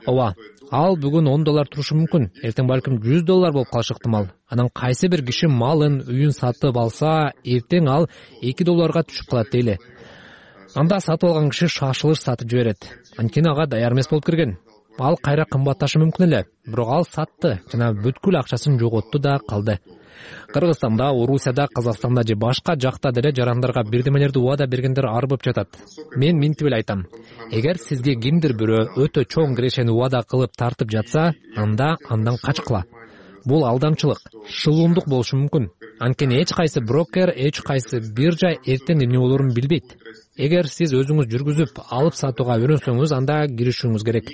Ооба, ал бүгүн он доллар турушу мүмкүн, эртең балким жүз доллар болуп калышы ыктымал. Анан кайсы бир киши малын, үйүн сатып алса, эртең ал эки долларга түшүп калат дейли. Анда сатып алган киши шашылыш сатып жиберет. Анткени ага даяр эмес болуп кирген. Ал кайра кымбатташы мүмкүн эле, бирок ал сатты жана бүткүл акчасын жоготту да калды. Кыргызстанда, Орусияда, Казакстанда же башка жакта деле жарандарга бирдемелерди убада бергендер арбып жатат. Мен минтип эле айтам. Эгер сизге кимдир бирөө өтө чоң кирешени убада кылып тартып жатса, анда андан качкыла. Бул алдамчылык, шылуумдук болушу мүмкүн. Анткени эч кайсы брокер, эч кайсы биржа эртең эмне болорун билбейт. Эгер сиз өзүңүз жүргүзүп, алып сатууга үйрөнсөңүз, анда киришүүңүз керек.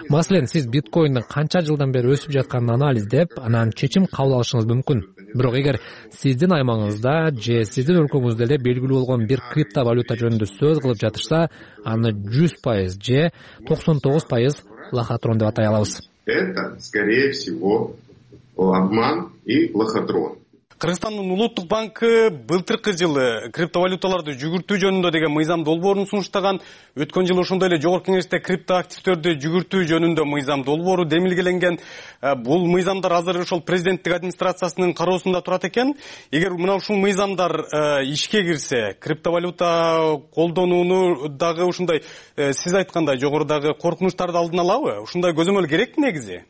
Маселен, сиз биткоиндин канча жылдан бери өсүп жатканын анализдеп, анан чечим кабыл алышыңыз мүмкүн. Бирок эгер сиздин аймагыңызда же сиздин өлкөңүздө эле белгилүү болгон бир криптовалюта жөнүндө сөз кылып жатышса, аны жүз пайыз же токсон тогуз пайыз лохотрон деп атай алабыз. Это, скорее всего, обман и лохотрон. Кыргызстандын улуттук банкы былтыркы жылы криптовалюталарды жүгүртүү жөнүндө деген мыйзам долбоорун сунуштаган. Өткөн жылы ошондой эле жогорку кеңеште криптоактивдерди жүгүртүү жөнүндө мыйзам долбоору демилгеленген. Бул мыйзамдар азыр ошол президенттик администрациясынын кароосунда турат экен. Эгер мына ушул мыйзамдар ишке кирсе, криптовалюта колдонууну дагы ушундай сиз айткандай жогорудагы коркунучтарды алдын алабы? Ушундай көзөмөл керек негизи?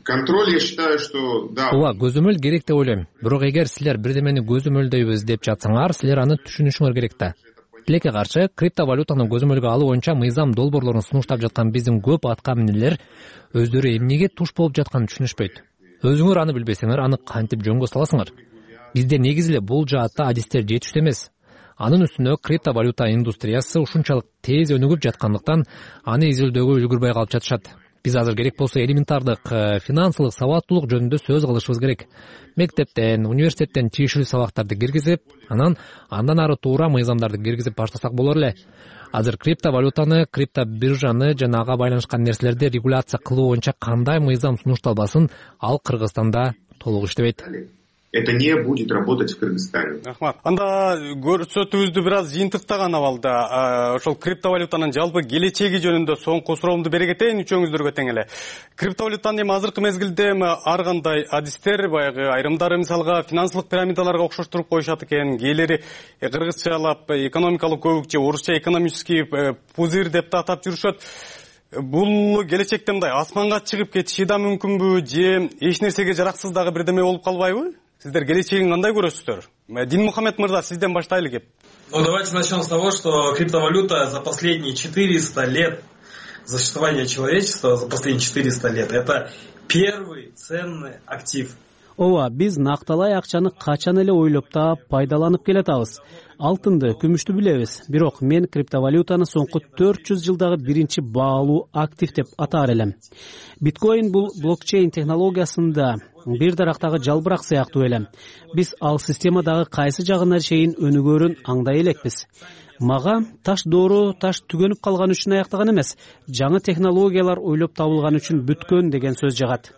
Контроль, я считаю, что да. Ооба, көзөмөл керек деп ойлойм. Бирок эгер силер бирдемени көзөмөлдөйбүз деп жатсаңар, силер аны түшүнүшүңөр керек да. Тилекке каршы криптовалютаны көзөмөлгө алуу боюнча мыйзам долбоорлорун сунуштап жаткан биздин көп атка минерлер өздөрү эмнеге туш болуп жатканын түшүнүшпөйт. Өзүңөр аны билбесеңер, аны кантип жөнгө саласыңар? Бизде негизи эле бул жаатта адистер жетиштүү эмес. Анын үстүнө криптовалюта индустриясы ушунчалык тез өнүгүп жаткандыктан аны изилдөөгө үлгүрбөй калып жатышат. Биз азыр керек болсо элементардык финансылык сабаттуулук жөнүндө сөз кылышыбыз керек. Мектептен, университеттен тиешелүү сабактарды киргизип, анан андан ары туура мыйзамдарды киргизип баштасак болор эле. Азыр криптовалютаны, криптобиржаны жана ага байланышкан нерселерди регуляция кылуу боюнча кандай мыйзам сунушталбасын, ал Кыргызстанда толук иштебейт. Это не будет работать в Кыргызстане. Рахмат. Анда көрсөтүүбүздү бир аз жыйынтыктаган абалда ошол криптовалютанын жалпы келечеги жөнүндө соңку суроомду бере кетейин үчөөңүздөргө тең эле. Криптовалютаны эми азыркы мезгилде ар кандай адистер, баягы айрымдары мисалга финансылык пирамидаларга окшоштуруп коюшат экен, кээделери кыргызчалап экономикалык көбүк же орусча экономический пузырь деп да атап жүрүшөт. Бул келечекте мындай асманга чыгып кетиши да мүмкүнбү же эч нерсеге жараксыз дагы бирдеме болуп калбайбы? Сиздер келечегин кандай көрөсүздөр? Динмухамед мырза, сизден баштайлы кеп. Ну, давайте начнем с того, что криптовалюта за последние четыреста лет существования человечества, за последние четыреста лет, это первый ценный актив. Ооба, биз накталай акчаны качан эле ойлоп та пайдаланып келатабыз. Алтынды, күмүштү билебиз. Бирок мен криптовалютаны соңку төрт жүз жылдагы биринчи баалуу актив деп атаар элем. Биткоин бул блокчейн технологиясында бир дарактагы жалбырак сыяктуу эле. Биз ал системадагы кайсы жагына чейин өнүгөрүн аңдай элекпиз. Мага таш доору таш түгөнүп калган үчүн аяктаган эмес, жаңы технологиялар ойлоп табылган үчүн бүткөн деген сөз жагат.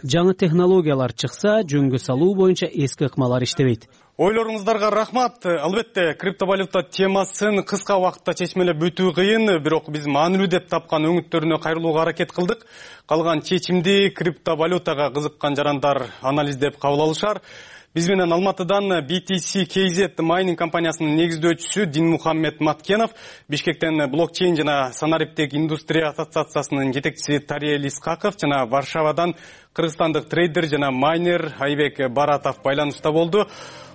жаңы технологиялар чыкса жөнгө салуу боюнча эски ыкмалар иштебейт. Ойлоруңуздарга рахмат. Албетте, криптовалюта темасын кыска убакытта чечмелеп бүтүү кыйын, бирок биз маанилүү деп тапкан өңүттөрүнө кайрылууга аракет кылдык. Калган чечимди криптовалютага кызыккан жарандар анализдеп кабыл алышар. Биз менен Алматыдан би ти си кей зет майнинг компаниясынын негиздөөчүсү Динмухаммед Маткенов, Бишкектен блокчейн жана санариптик индустрия ассоциациясынын жетекчиси Тариел Исхаков жана Варшавадан кыргызстандык трейдер жана майнер Айбек Баратов байланышта болду.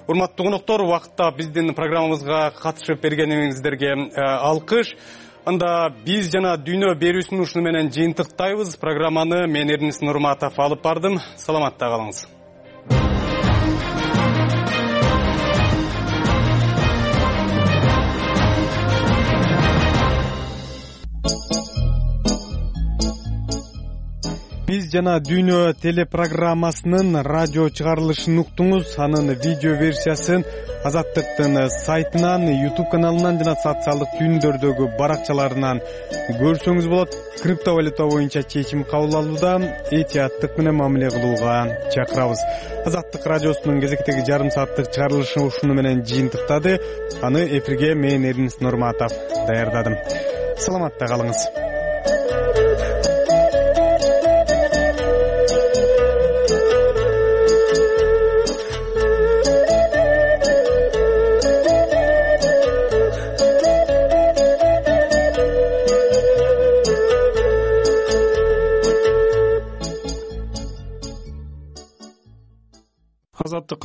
Урматтуу коноктор, убакытта биздин программабызга катышып бергениңиздерге алкыш. Анда биз жана дүйнө берүүсүн ушуну менен жыйынтыктайбыз. Программаны мен Эрнис Нурматов алып бардым. Саламатта калыңыз. Биз жана дүйнө телепрограммасынын радио чыгарылышын уктуңуз. Анын видео версиясын Азаттыктын сайтынан, YouTube каналынан жана социалдык түйүндөрдөгү баракчаларынан көрсөңүз болот. Криптовалюта боюнча чечим кабыл алууда этияттык менен мамиле кылууга чакырабыз. Азаттык радиосунун кезектеги жарым сааттык чыгарылышы ушуну менен жыйынтыктады. Аны эфирге мен Эрнис Нурматов даярдадым. Саламатта калыңыз. Азаттык